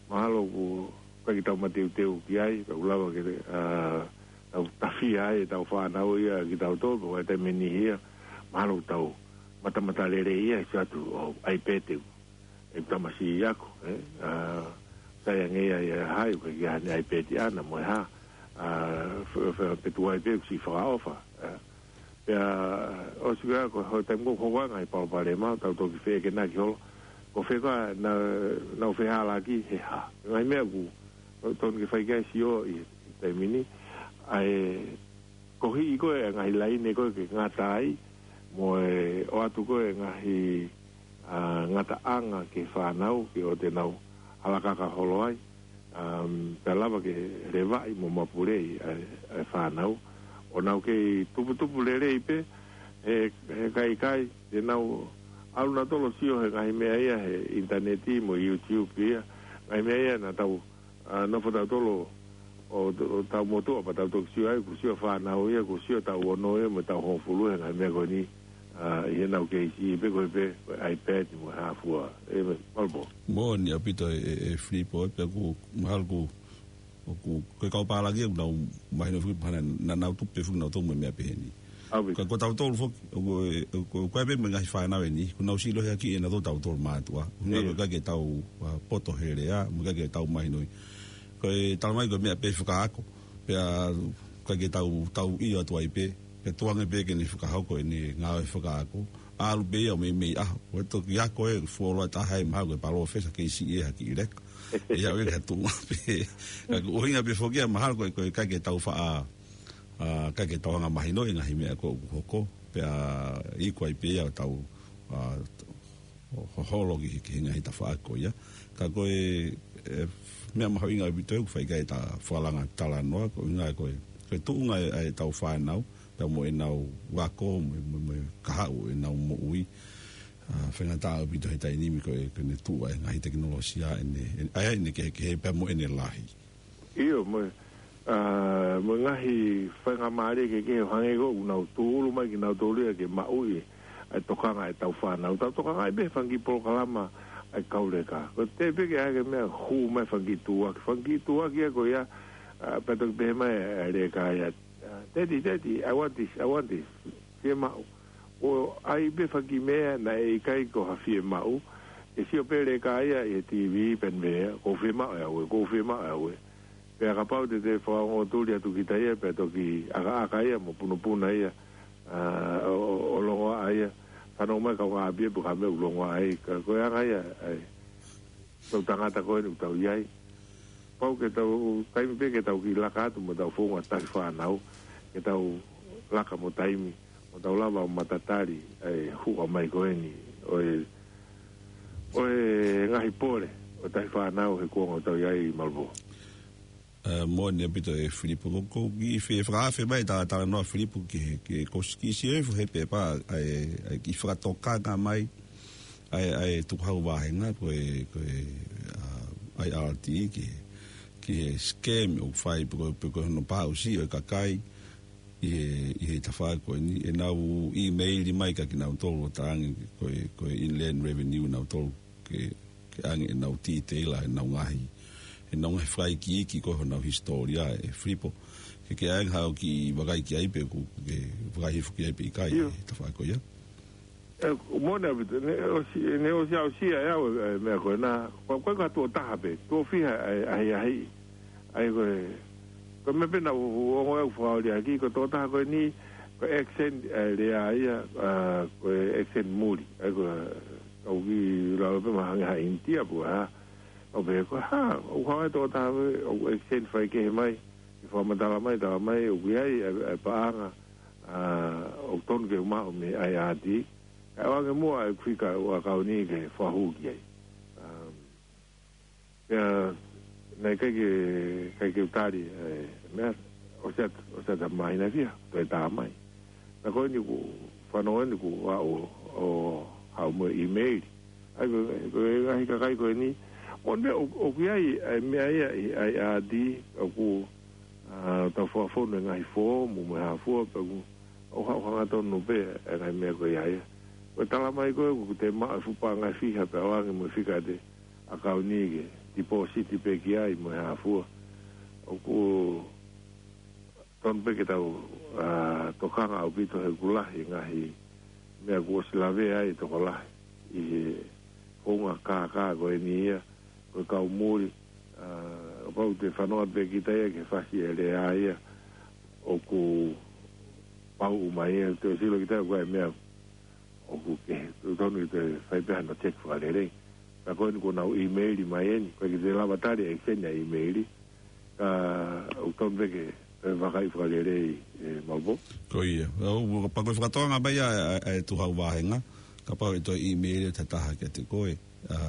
mahalo ʻoku ʻikai ke tau mateuteu ki ai, ka ʻoku lava ke, ʻa, tau tafia ai ʻetau fānau ia kitautolu, pe ko e taimi ni ia, mahalo ʻoku tau matamatalelei ia, ʻe sio atu ʻo iPad ʻeku, ʻeku tamasiʻi ako, ē? ʻA, sai ange ia ʻi he hā, ʻoku ʻikai ke ʻi ai haʻane iPad ʻaʻana mo e hā, ʻa, fe-, fe-, pe tuai pē ʻoku siʻi fakaʻofa, ē? Pea, ʻosi ko ia ko e taimi ko ē ʻoku hoko ai e ngaahi palopalema, tau toki feʻekenaki holo. Ko fē ko ā, na, nau fehālaaki he hā. Ngaahi meʻa ʻoku totonu ke fai ki ai e sio ʻi he taimi ni. ʻA e kohiʻi ko ē e ngaahi laine ko ē ke ngata ai, mo e ʻoatu ko ē e ngaahi, ʻa, ngataʻanga ki he fānau, ke ʻoua te nau halakaka holo ai. Um, pea lava ke levaʻi mo mapuleʻi ʻa e, ʻa e fānau. ʻO nau kei tuputupu lelei pē, he, he ʻikai, ʻikai te nau ʻalu nautolu ʻo sio he ngaahi meʻa ia he ʻinitaneti mo YouTube ia. Ngaahi meʻa ia naʻa tau, ʻa, nofo tautolu ʻo, ʻo tau motuʻa pea tau toki sio ai, kuo sio e fānau ia, kuo sio e taʻu ono ia, mo e taʻu hongofulu he ngaahi meʻa ko eni. ʻA, ʻi heʻenau kei siʻi pē ko ē pē, ko e iPad mo e hā fua, ē, Malpo. Moʻoni ʻaupito e, e, e Filipo, pea ʻoku, mahalo ʻoku, ʻoku, ko e kau pālangi ʻoku nau mahino foki pē naʻa, naʻa nau tupu pē foki nautolu mo e meʻa pehē ni. ʻAupito. Ka ko tautolu foki, ʻoku, ʻoku, ʻoku ʻi ai pē mo e ngaahi fānau eni, ʻoku nau siʻi lohiakiʻi ʻe nautolu tautolu mātuʻa. ʻOku nau ʻIo. ʻIkai ke tau, ʻa, poto he lea, mo ʻikai ke tau mahinoʻi. Ko e talamai ko e meʻa pē fakaako. Pea, ʻikai ke tau, tau ʻilo atu ai pē, pea tuku ange pē ke ne fakahoko ʻene ngāue fakaako. ʻAlu pē ia ʻo meimei ʻaho. Ko e toki ako ē, fuoloa taha ē, mahalo ko e palōfesa kei siʻi ē ha kiʻi leka. ʻE aʻu ia ki ha tuʻunga pē. Ka ko e ʻuhinga pē foki ia mahalo ko e, ko e ʻikai ke tau faʻa, ʻa, ʻikai ke tau anga mahinoʻi e ngaahi meʻa ko ē ʻoku hoko. Pea iku ai pē ia ʻo tau, ʻa, ho-, hoholo ki he, ki he ngaahi tafaʻaki ko ia. Ka ko e, e, meʻa mahuʻinga ʻaupito ʻoku fai ki ai ʻeta fakalanga talanoa, ko e ʻuhinga ko e, ko e tuʻunga ʻa e, ʻa ʻetau fānau, pea mo ʻenau ako, mo, mo, mo e kahaʻu ʻenau moʻui. ʻA, faingataʻa ʻaupito he taimi ni ko e, ko ʻene tuʻu ʻa e ngaahi tekinolosia, ʻene, ʻene, ʻa ia ʻene kehekehe pea mo ʻene lahi. ʻIo, mo e, ʻa, mo e ngaahi faingamālie kehekehe ʻo hangē ko ʻoku nau tūʻulu mai kinautolu ia ke maʻu ʻi he tokanga ʻetau fānau. Tau tokangaʻi pē fanga kiʻi polokalama ʻa e kau leka. Ko e teʻeki ke ʻai ke meʻa hū mai fanga kiʻi tuʻuaki. Fanga kiʻi tuʻuaki ia ko ia, ʻa, pea toki pehē mai ʻa e leka ia. ʻA, Daddy, Daddy, I want this, I want this. Fiemaʻu. ʻO ʻai pē fanga kiʻi meʻa naʻe ʻikai ko ha fiemaʻu. ʻE sio pē leka ia ʻi he T V pea ne pehē, ʻoku ou fiemaʻu ʻe au ē, ʻoku ou fiemaʻu ʻe au ē. Pea kapau te te fakaongo tuli atu kita ia, pea toki ʻakaʻaka ia, mo punopuna ia, ʻa, ʻo, ʻo, ʻo longoaʻa ia. Fanongo mai kaungāʻapi ia pe ko e hā e meʻa ʻoku longoaʻa ai, ka ko e anga ia, ʻa e, tau tangata ko eni ʻoku tau ʻi ai. Pau ke tau, taimi pē ke tau kiʻi laka atu mo ʻetau founga tahi fānau, ke tau laka mo taimi, mo tau lava ʻo matatali ʻa e huʻa mai ko eni ʻo e, ʻo e ngaahi pole ʻo tahi fānau he kuonga ʻoku tau ʻi ai, Malvo. ʻA, moʻoni ʻaupito ē Filipo, ko, ko e kiʻi fe-, fakaafe mai ʻeta talanoa Filipo ki he, ki he kosi kiʻi sio ē fu he pepa ʻa e, ʻa e kiʻi fakatokanga mai ʻa e, ʻa e tukuhau vāhenga ko e, ko e, ʻa, I R T ki he, ki he scam ʻoku fai pe ko, pe ko hono pāʻusi ʻo e kakai ʻi he, ʻi he tafaʻaki ko eni, ʻenau ʻīmeili mai kia kinautolu ʻo talaange ko e, ko e Inland Revenue nautolu ke, ke ʻange ʻenau tīteila ʻenau ngaahi, ʻenau ngaahi fakaikiiki ko honau hisitōlia ē Filipo. Ke, ke ʻai haʻo kiʻi vakai ki ai pe ʻoku ke vakai hifo ki ai pe ʻikai ʻIo. ʻi he tafaʻaki ko ia. ʻE, moʻoni ʻaupito, ne ʻosi, ne ʻosi aʻusia ʻe au e, e meʻa ko ena, ko, ko e ka tuʻo taha pē, tuʻo fiha ʻa e, ʻa e, ʻa e, ʻa e ko e, ko e meʻa pē naʻa ku, ku ongo ʻe au fakaoli ʻaki, ko e tuʻo taha ko eni, ko e accent, ʻa e lea ia, ʻa, ko e accent muli, ʻa e ko e, kau kiʻi lalo pē mahalo hangē ha ʻInitia pē ʻa, ʻo pehē ko e hā, ʻoku hanga ʻe he tuʻo taha pē, ʻoku accent faikehe mai, ʻi he fakamatala mai, tala mai, ʻoku ʻi ai, ʻa e, ʻa e paʻanga, ʻa, ʻoku tonu ke maʻu mei he I R T, ʻa, ʻoange muʻa ʻeku fika ʻo e ʻakauni ke fakahū ki ai. Um, pea, naʻe ʻikai ke, ʻikai ke u tali, ʻe, meʻa, ʻosi ʻat-, ʻosi ʻatā mai naʻe fiha, toe tā mai. Naʻa ko eni kuo fanongo eni kuo ʻalu ʻo, ʻo haʻu mo e ʻīmeili. ʻA ia ko, ko e ngaahi kakai ko eni, moʻoni pē ʻo, ʻoku ʻi ai, ʻa e meʻa ia ʻi, ʻa e I R T, ʻoku, ʻa, tau fakafonu e ngaahi foomu mo e hā fua, pea ʻoku, ʻoku ha-, ʻoku hangatonu pē e ngaahi meʻa ko ia ia. Ko e tala mai ko ē, ʻoku te maʻu e fuʻu paʻanga ʻe fiha pea ʻoange mo e fika ʻete ʻakauni ke tipōsiti pē ki ai mo e hā fua. ʻOku tonu pē ke tau, ʻa, tokanga ʻaupito he ʻoku lahi e ngaahi meʻa kuo ʻosi lavea ai e tokolahi ʻi he founga kākā ko eni ia, ko e kau muli, ʻa, kapau te fanongo pē kita ia ki he fasi e lea ia, ʻoku pau mai ia, te sio kita ko e meʻa ʻoku kehe, ʻoku tonu ke te fai pē hano check fakalelei. Ka ko eni kuo nau ʻīmeili mai eni, ko e ke te lava tali e accent ʻa e ʻīmeili, ka ʻoku tonu pē ke, ke vakai fakalelei, ʻe Malvo. Ko ia. ʻOku, kapau ko e fakatokanga mai ʻa, ʻa, ʻa e tukuhau vāhenga, kapau ʻe toe ʻīmeili ʻe ha taha kiate koe, ʻa,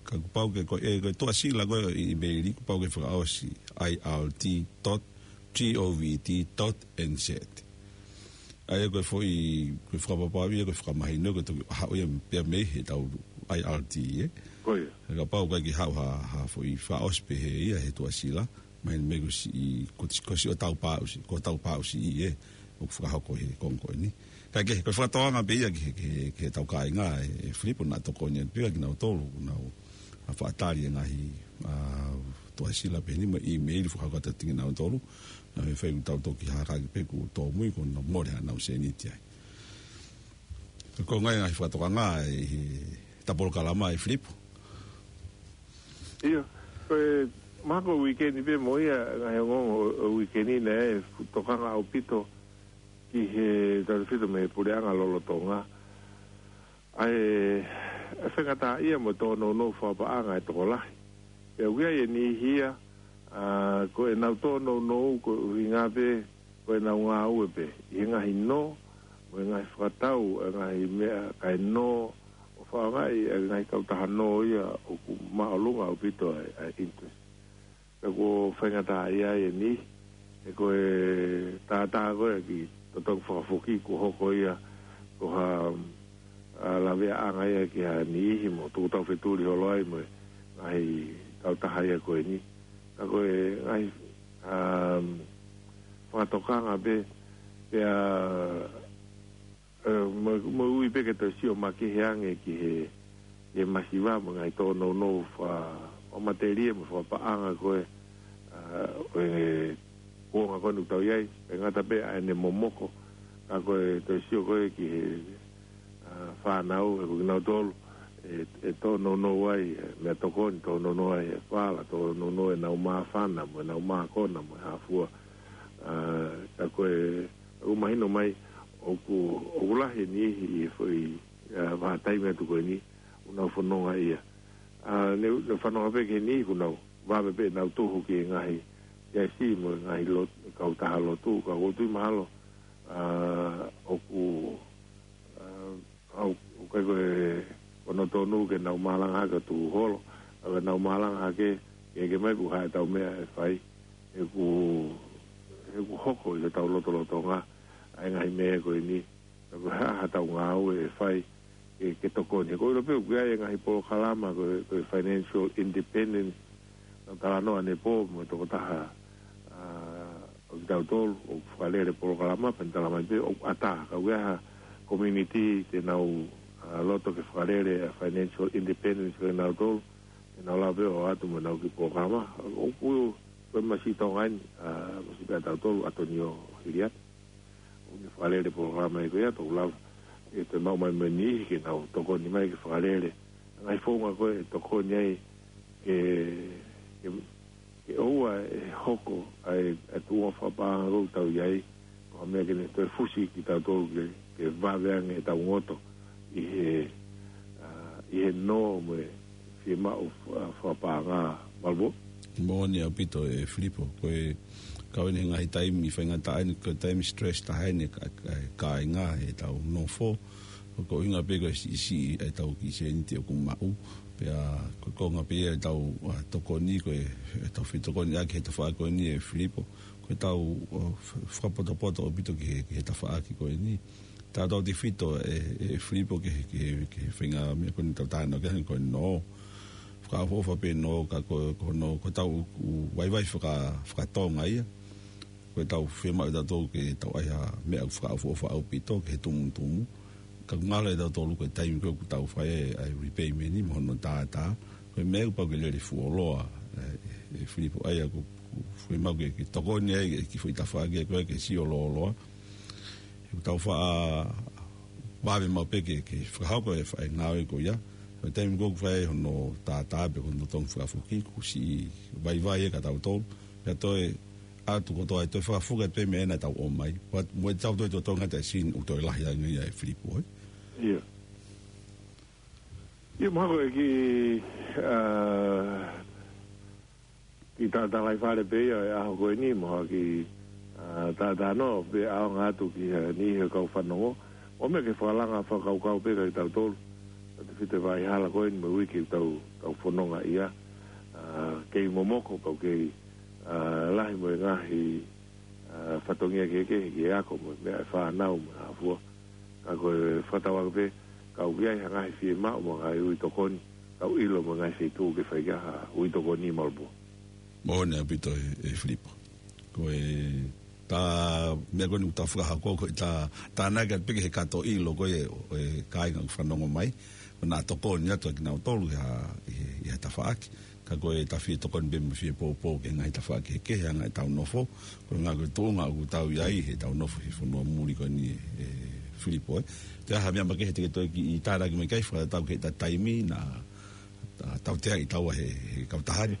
ka kuo pau ke ko e, ko e tuʻasila ko ē ʻo e ʻīmeili, kuo pau ke fakaʻosi I R T dot G O V T dot N Z. ʻA ia ko e foʻi, ko e fakapapau ia, ko e fakamahino, ko e toki haʻu ia pea mei he tau I R T, ē? Ko ia. Kapau ʻoku ʻikai ke haʻu ha, ha foʻi fakaʻosi pehē ia he tuʻasila, mahino mei ko siʻi, ko, ko siʻotau pāʻusi, ko hotau pāʻusi ē, ʻoku fakahoko he konga ko eni. Ka ke, ko e fakatokanga pē ia ki he, ki he, ki heʻetau kāinga, ʻe, ʻe Filipo naʻa tokoni atu pē ia kinautolu, ʻoku nau, ʻa, fakatali e ngaahi, ʻa, tuʻasila pehē ni mo e ʻīmeili fakahoko atu kiate kinautolu, naʻa mei fai ʻoku tau toki hākaki pē kuo tōmui kuo nau mole haʻanau sēniti ai. Ko e ngaahi, ngaahi fakatokanga ʻi heʻeta polokalama ē Filipo. ʻIo, ko e Mahalo ko e uike ni pē mo ia, ngaahi ongoongo ʻo, ʻo e uike ni naʻe fu-, tokanga ʻaupito ki he tautefito mei he puleʻanga lolotonga. ʻA e, ʻa e faingataʻaʻia mo e tōnounou fakapaʻanga ʻa e tokolahi. Pea ʻoku ʻi ai e niʻihi ia, ʻa, ko ʻenau tōnounou ko e ʻuhinga pē, ko ʻenau ngāue pē ʻi he ngaahi nō, mo e ngaahi fakatau, ʻa e ngaahi meʻa kae nō, ʻo fakaʻaongaʻi ʻa e ngaahi kautaha nō ia ʻoku māʻolunga ʻaupito ʻa e, ʻa e interest. Pea ʻoku faingataʻaʻia ai e niʻihi, he ko e tātā ko ē ki he totongi fakafoki kuo hoko ia ko ha, ʻa, laveaʻanga ia ki ha niʻihi mo tuku tau fetuli holo ai mo e ngaahi kautaha ia ko eni. Ka ko e ngaahi, um, fakatokanga pē, pea, ʻe, mo, mo ui pē ke toe sio makehe ange ki he, he masiva mo e ngaahi tōnounou fa-, fakamatelie mo e fakapaʻanga ko ē, ʻa, ʻo e kuonga ko eni ʻoku tau ʻi ai, ʻe ngata pē ʻa ʻene momoko, ka ko e toe sio ko ē ki he, ʻa, fānau, he ko kinautolu ʻe, ʻe tōnounou ai, ʻe meʻatokoni, tōnounou ai e fala, tōnounou ʻenau māfana, mo ʻenau mākona, mo e hā fua. ʻA, ka ko e, ʻoku mahino mai, ʻoku, ʻoku lahi e niʻihi ʻi he foʻi, ʻa, vahaʻa taimi atu ko eni, ʻoku nau fononga ia. ʻA, ne, ne fanonga pē ki he niʻihi ʻoku nau vave pē ʻenau tuhu ki he ngaahi siasi mo e ngaahi lot-, kautaha lotu, ka ʻoku ou tui mahalo, ʻa, ʻoku, ʻa, ʻoku ʻikai ko e, ko hono tonu ke nau malanga hake ʻo tuhu holo, ka ke nau malanga hake, ke, ke ʻomai ʻoku ʻi ai ʻetau meʻa ʻe fai, he ʻoku, he ʻoku hoko ʻi hotau lotolotonga ʻa e ngaahi meʻa ko eni, ka ko e hā haʻatau ngāue ʻe fai ke, ke tokoni. He ʻoku ou ʻilo pē ʻoku ʻi ai e ngaahi polokalama ko e, ko e financial independence, nau talanoa ʻanepō mo e tokotaha, ʻa, ʻo kitautolu, ʻoku fakalele polokalama, pea ne talamai pē ʻoku ʻatā, ka ʻoku ʻi ai ha community te nau, ʻa, loto ke fakalele ʻa e financial independence ko kinautolu, te nau lava pē ʻo ʻoatu mo ʻenau kiʻi polokalama. ʻOku, ko e masiʻi Tonga eni, ʻa, masiʻi pē ʻa tautolu, ʻAtonio Hiliata. ʻOku ne fakalele polokalama ia ko ia, toki lava ʻe toe maʻu mai mo e niʻihi ke nau tokoni mai ke fakalele ʻa e ngaahi founga ko ē ʻe tokoni ai ke, ke, ke ʻoua ʻe hoko ʻa e, ʻa e tuʻunga fakapaʻanga ʻoku tau ʻi ai, ko ha meʻa ke ne toe fusi kitautolu ke, ke vave ange ʻetau ngoto ʻi he, ʻa, ʻi he nō mo e fiemaʻu fa-, fakapaʻanga, Malubo. Moʻoni ʻaupito ʻe Filipo, ko e kau eni he ngaahi taimi faingataʻa eni, ko e taimi stress taha eni ka, ka, kāinga heʻetau nofo, ko e ʻuhinga pē ko e siʻisiʻi ʻetau kiʻi sēniti ʻoku maʻu, pea ko e konga pē ia ʻetau, ʻa, tokoni ko e, ʻetau fetokoniʻaki he tafaʻaki ko eni ʻe Filipo, ko ʻetau, ʻa, f-, fakapotopoto ʻaupito ki he, ki he tafaʻaki ko eni. Tautautefito ʻe, ʻe Filipo ki he, ki he, ki he faʻahinga meʻa ko eni ʻoku tau talanoa ki ai ko e nō. Fakaʻofoʻofa pē nō ka ko, ko hono, ko ʻetau ʻū vaivai faka-, fakatonga ia. Ko ʻetau fiemaʻu ʻe tautolu ke tau ʻai ha meʻa ʻoku fakaʻofoʻofa ʻaupito ki he tumutumu. Ka ʻoku ngalo ʻe tautolu ko e taimi ko ē ʻoku tau fai ai ʻa e repayment ni mo hono tātā. Ko e meʻa ʻoku pau ke lele fuoloa, ʻe, ʻe Filipo ʻa ia ʻoku, ʻoku fiemaʻu ke, ke tokoni ai ki he foʻi tafaʻaki ko ē ke sio lōloa. He ʻoku tau faʻa vave maʻu pē ke, ke fakahoko e faʻahinga ngāue ko ia. Ko e taimi ko ē ʻoku fai ai hono tātā pe ko hono totongi fakafoki, kuo siʻi vaivai ia kia tautolu. Pea toe ʻatu kotoa ai, toe fakafoki atu pē meʻa naʻa tau ʻomai. Pea mo ʻetau toe totongi atu e sini ʻoku toe lahi ange ia ʻe Filipo, ē? ʻIo. ʻIo, mahalo ko e kiʻi, ʻa, kiʻi talafale pē ia ʻo e ʻaho ko eni, mo ha kiʻi, ʻa, talanoa pē ʻaonga atu ki ha niʻihi ʻo e kau fanongo. ʻOmai ke fakalanga fakakaukau pē kia tautolu, tautefito e vaʻa hala ko eni mo e uike ʻoku tau, tau fononga ia. ʻA, kei momoko pau kei, ʻa, lahi mo e ngaahi, ʻa, fatongia kehekehe ke ako mo e meʻa ʻa e fānau mo e hā fua. Ka ko e fakatauange pē, ka ʻoku ʻi ai ha ngaahi fiemaʻu mo e ngaahi ui tokoni, ka ʻoku ʻilo mo e ngaahi feituʻu ke fai ki ai ha ui tokoni, Malubo. Moʻoni ʻaupito ʻe, ʻe Filipo. Ko e tā meʻa ko eni ʻoku tau fakahoko, ko e tā, tānaki atu pē ki he kato ʻilo ko ē ʻo e kāinga ʻoku fanongo mai, ko ʻenau tokoni atu ʻa kinautolu ʻi ha, ʻi he, ʻi ha tafaʻaki. Ka ko e tau fie tokoni pē mo fie poupou ki he ngaahi tafaʻaki kehekehe ʻa e anga ʻetau nofo. Ko e ʻuhinga ko e tuʻunga ʻoku tau ʻi ai heʻetau nofo he fonua muli ko eni ʻe Filipo, ē. Toe ʻi ai ha meʻa makehe te ke toe kiʻi tānaki mai ki ai fakatatau ki heʻeta taimi naʻa, ʻa, tauteaʻi taua he, he kautaha ni.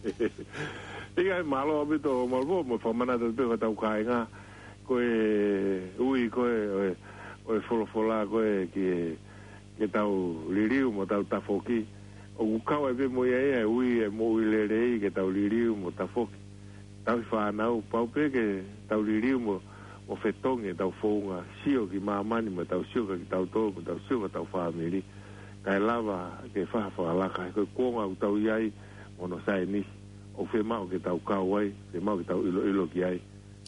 ʻIkai, mālō ʻaupito Malvo, mo e fakamanatu pē ki hotau kāinga, ko e ui ko ē ʻo e, ʻo e folofola ko ē ki he, ke tau liliu mo tau tafoki. ʻOku kau ai pē mo ia ia e ui e moʻui lelei ke tau liliu mo tafoki. Tauhi fānau, pau pē ke tau liliu mo, mo fetongi ʻetau founga, sio ki māmani mo tau sio kia kitautolu, mo tau sio ki hotau fāmili. Kae lava ke fai ha fakalaka, he ko e kuonga ʻoku tau ʻi ai mo hono saienisi, ʻoku fiemaʻu ke tau kau ai, fiemaʻu ke tau ʻiloʻilo ki ai.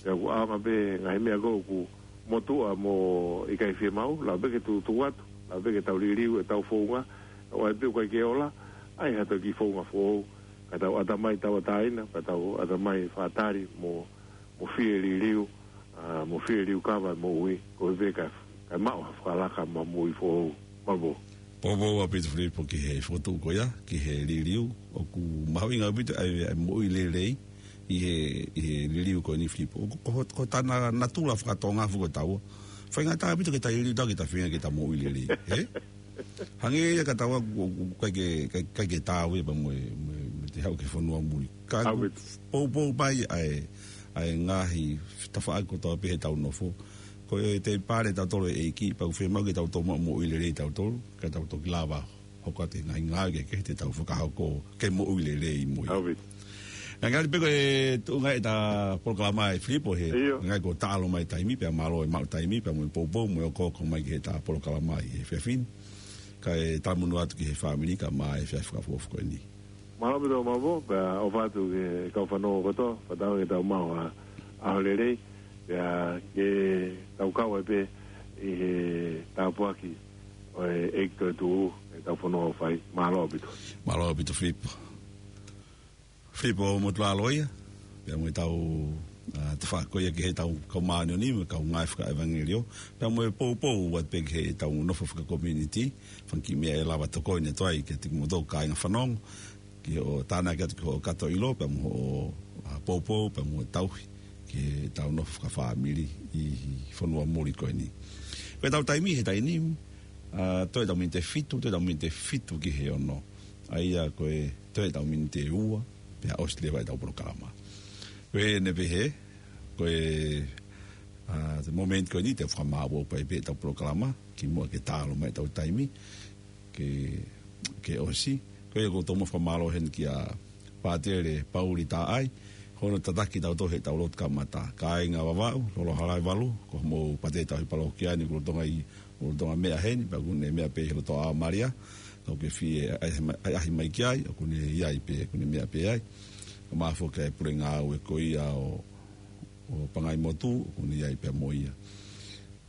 Pea ʻoku ʻaonga pē ngaahi meʻa ko ē ʻoku motuʻa mo ʻikai fiemaʻu, lava pē ke tuʻutuʻu atu, lava pē ke tau liliu ʻetau founga, ʻo ʻai pē ʻoku ʻikai ke ola, ʻai ha toe kiʻi founga foʻou, ka tau ʻatamai tauʻatāina, ka tau ʻatamai fakatali mo, mo fie liliu, ʻa, mo fie liukava e moʻui, koeʻuhi pē kae, kae maʻu ha fakalaka mo ha moʻui foʻou, Malvo. Poupou ʻaupito Filipo ki he fokotuʻu ko ia, ki he liliu, ʻoku mahuʻinga ʻaupito ʻa e, ʻa e moʻui lelei, ʻi he, ʻi he liliu ko eni Filipo. ʻOku, ko, ko hota natula fakatonga fuko taua. Faingataʻa ʻaupito ke ta liliu tau ke ta feinga ke ta moʻui lelei. Ē? Hangē ia ka taua ʻoku, ʻoku, ʻikai ke, ʻikai, ʻikai ke tau ia pea mo e, mo e, mo e te haʻu ki he fonua muli. Ka ʻoku ʻaupito. Poupou mai ʻa e, ʻa e ngaahi tafaʻaki kotoa pē heʻetau nofo. Ko e te pale tautolu ʻe ʻEiki, pea ʻoku fiemaʻu ke tau tomuʻa moʻui lelei tautolu, ka tau toki lava hoko atu e ngaahi ngāue kehekehe te tau fakahoko ke moʻui lelei mo ia. ʻAupito. Ngali pē ko e tuʻunga ʻeta polokalama ʻe Filipo he, ʻio, ngali ko e taʻalo mai taimi, pea mālō e maʻu taimi, pea mo e poupou, mo e okooko mai ki heʻeta polokalama ʻi he efiafi ni. Kae talamonū atu ki he fāmili kae ʻumaʻā e efiafi fakaʻofoʻofa ko eni. Mālō ʻaupito Malvo, pea ʻofa atu ki he kau fanongo kotoa, fakatauange ke tau maʻu ha ʻaho lelei, pea ke tau kau ai pē ʻi he tāpuaki ʻo e ʻEiki toetuʻu, ʻetau fononga ʻoku fai. Mālō ʻaupito. Mālō ʻaupito Filipo. Filipo Motulalo ia, pea mo ʻetau, ʻa, tafaʻaki ko ia ki heʻetau kau māʻoniʻoni, mo e kau ngāue fakaʻevangeliō, pea mo e poupou atu pē ki heʻetau nofo fakakomiunitī, fanga kiʻi meʻa ʻe lava tokoni atu ai kiate kimoutolu kāinga fanongo, ki hoʻo tānaki atu ki hoʻo kato ʻilo, pea mo hoʻo, ʻa, poupou, pea mo e tauhi, ki heʻetau nofo fakafāmili ʻi fonua muli ko eni. Ko ʻetau taimi he taimi ni, ʻa, toe ʻetau miniti ʻe fitu, toe ʻetau miniti ʻe fitu ki he ono. ʻA ia ko e toe ʻetau miniti ʻe ua, pea ʻosi leva ʻetau polokalama. Ko eni pē hē, ko e, ʻa, te momenti ko eni te u fakamāʻopoʻopo ai pē ʻetau polokalama, kimuʻa ke taʻalo mai ʻetau taimi, ke, ke ʻosi. Ko ia ʻoku ou tomuʻa fakamālō heni kia Pātele Pauli Taʻai, hono tataki tautolu heʻetau lotu kamata. Kāinga Vavaʻu, Lolo Halaevalu, ko hoʻomou pātele tauhi palōkia ni, ʻoku lolotonga ʻi, ʻoku lolotonga meʻa heni, pea ʻoku ne meʻa pē he loto ʻa Malia, ka ʻoku ke fie ʻaʻahi mai, ʻaʻahi mai ki ai, ʻoku ne ʻi ai pē, ʻoku ne meʻa pē ai. Kae ʻumaʻā foki ʻa e pule ngāue ko ia ʻo, ʻo Pangaimotu, ʻoku ne ʻi ai pē mo ia.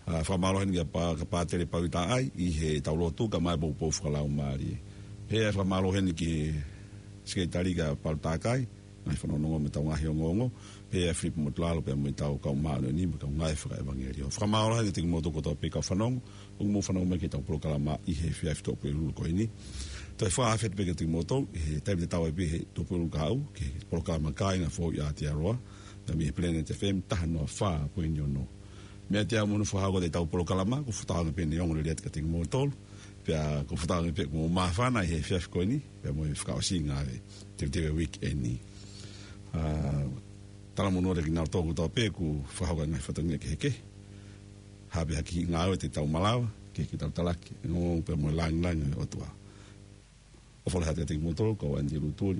ʻA, fakamālō heni kia Pa-, kia Pātele Pauli Taʻai, ʻi heʻetau lotu kae ʻumaʻā e poupou fakalaumālie. Pea fakamālō heni ki he Sekelitali kia Palu Takai, ngaahi fanongonongo mo ʻetau ngaahi ongoongo, pea Filipo Motulalo pea mo ʻetau kau māʻoniʻoni mo e kau ngāue fakaʻevangeliō. Fakamālō heni kiate kimoutolu kotoa pē kau fanongo, ʻoku mou fanongo mai ki heʻetau polokalama ʻi he efiafi Tuʻapulelulu ko eni. Toe fakafetaʻi pē kiate kimoutolu, ʻi he taimi tatau ai pē he Tuʻapulelulu kahaʻu, ki he polokalama Kāinga Foʻou ʻi Aotearoa, pea mei he Planet F M taha noa fā poini ono. Mei he ʻaho ni ʻo fakahoko atu ʻetau polokalama, ʻoku ou fakatauange pē ʻe ongo lelei atu kiate kimoutolu, pea ʻoku ou fakatauange pē ʻoku mou māfana ʻi he efiafi ko eni, pea mo e fakaʻosinga ʻo e teuteu ʻo e uike ni. ʻA, talamonū atu kiate kinautolu kotoa pē ʻoku fakahoko e ngaahi fatongia kehekehe, ha pē ha kiʻi ngāue te tau malava, ke, ke tau talaki e ongoongo pea mo e lāngilangi ʻo e ʻOtua. ʻOfa lahi atu kiate kimoutolu, ko au Andy Lutuli,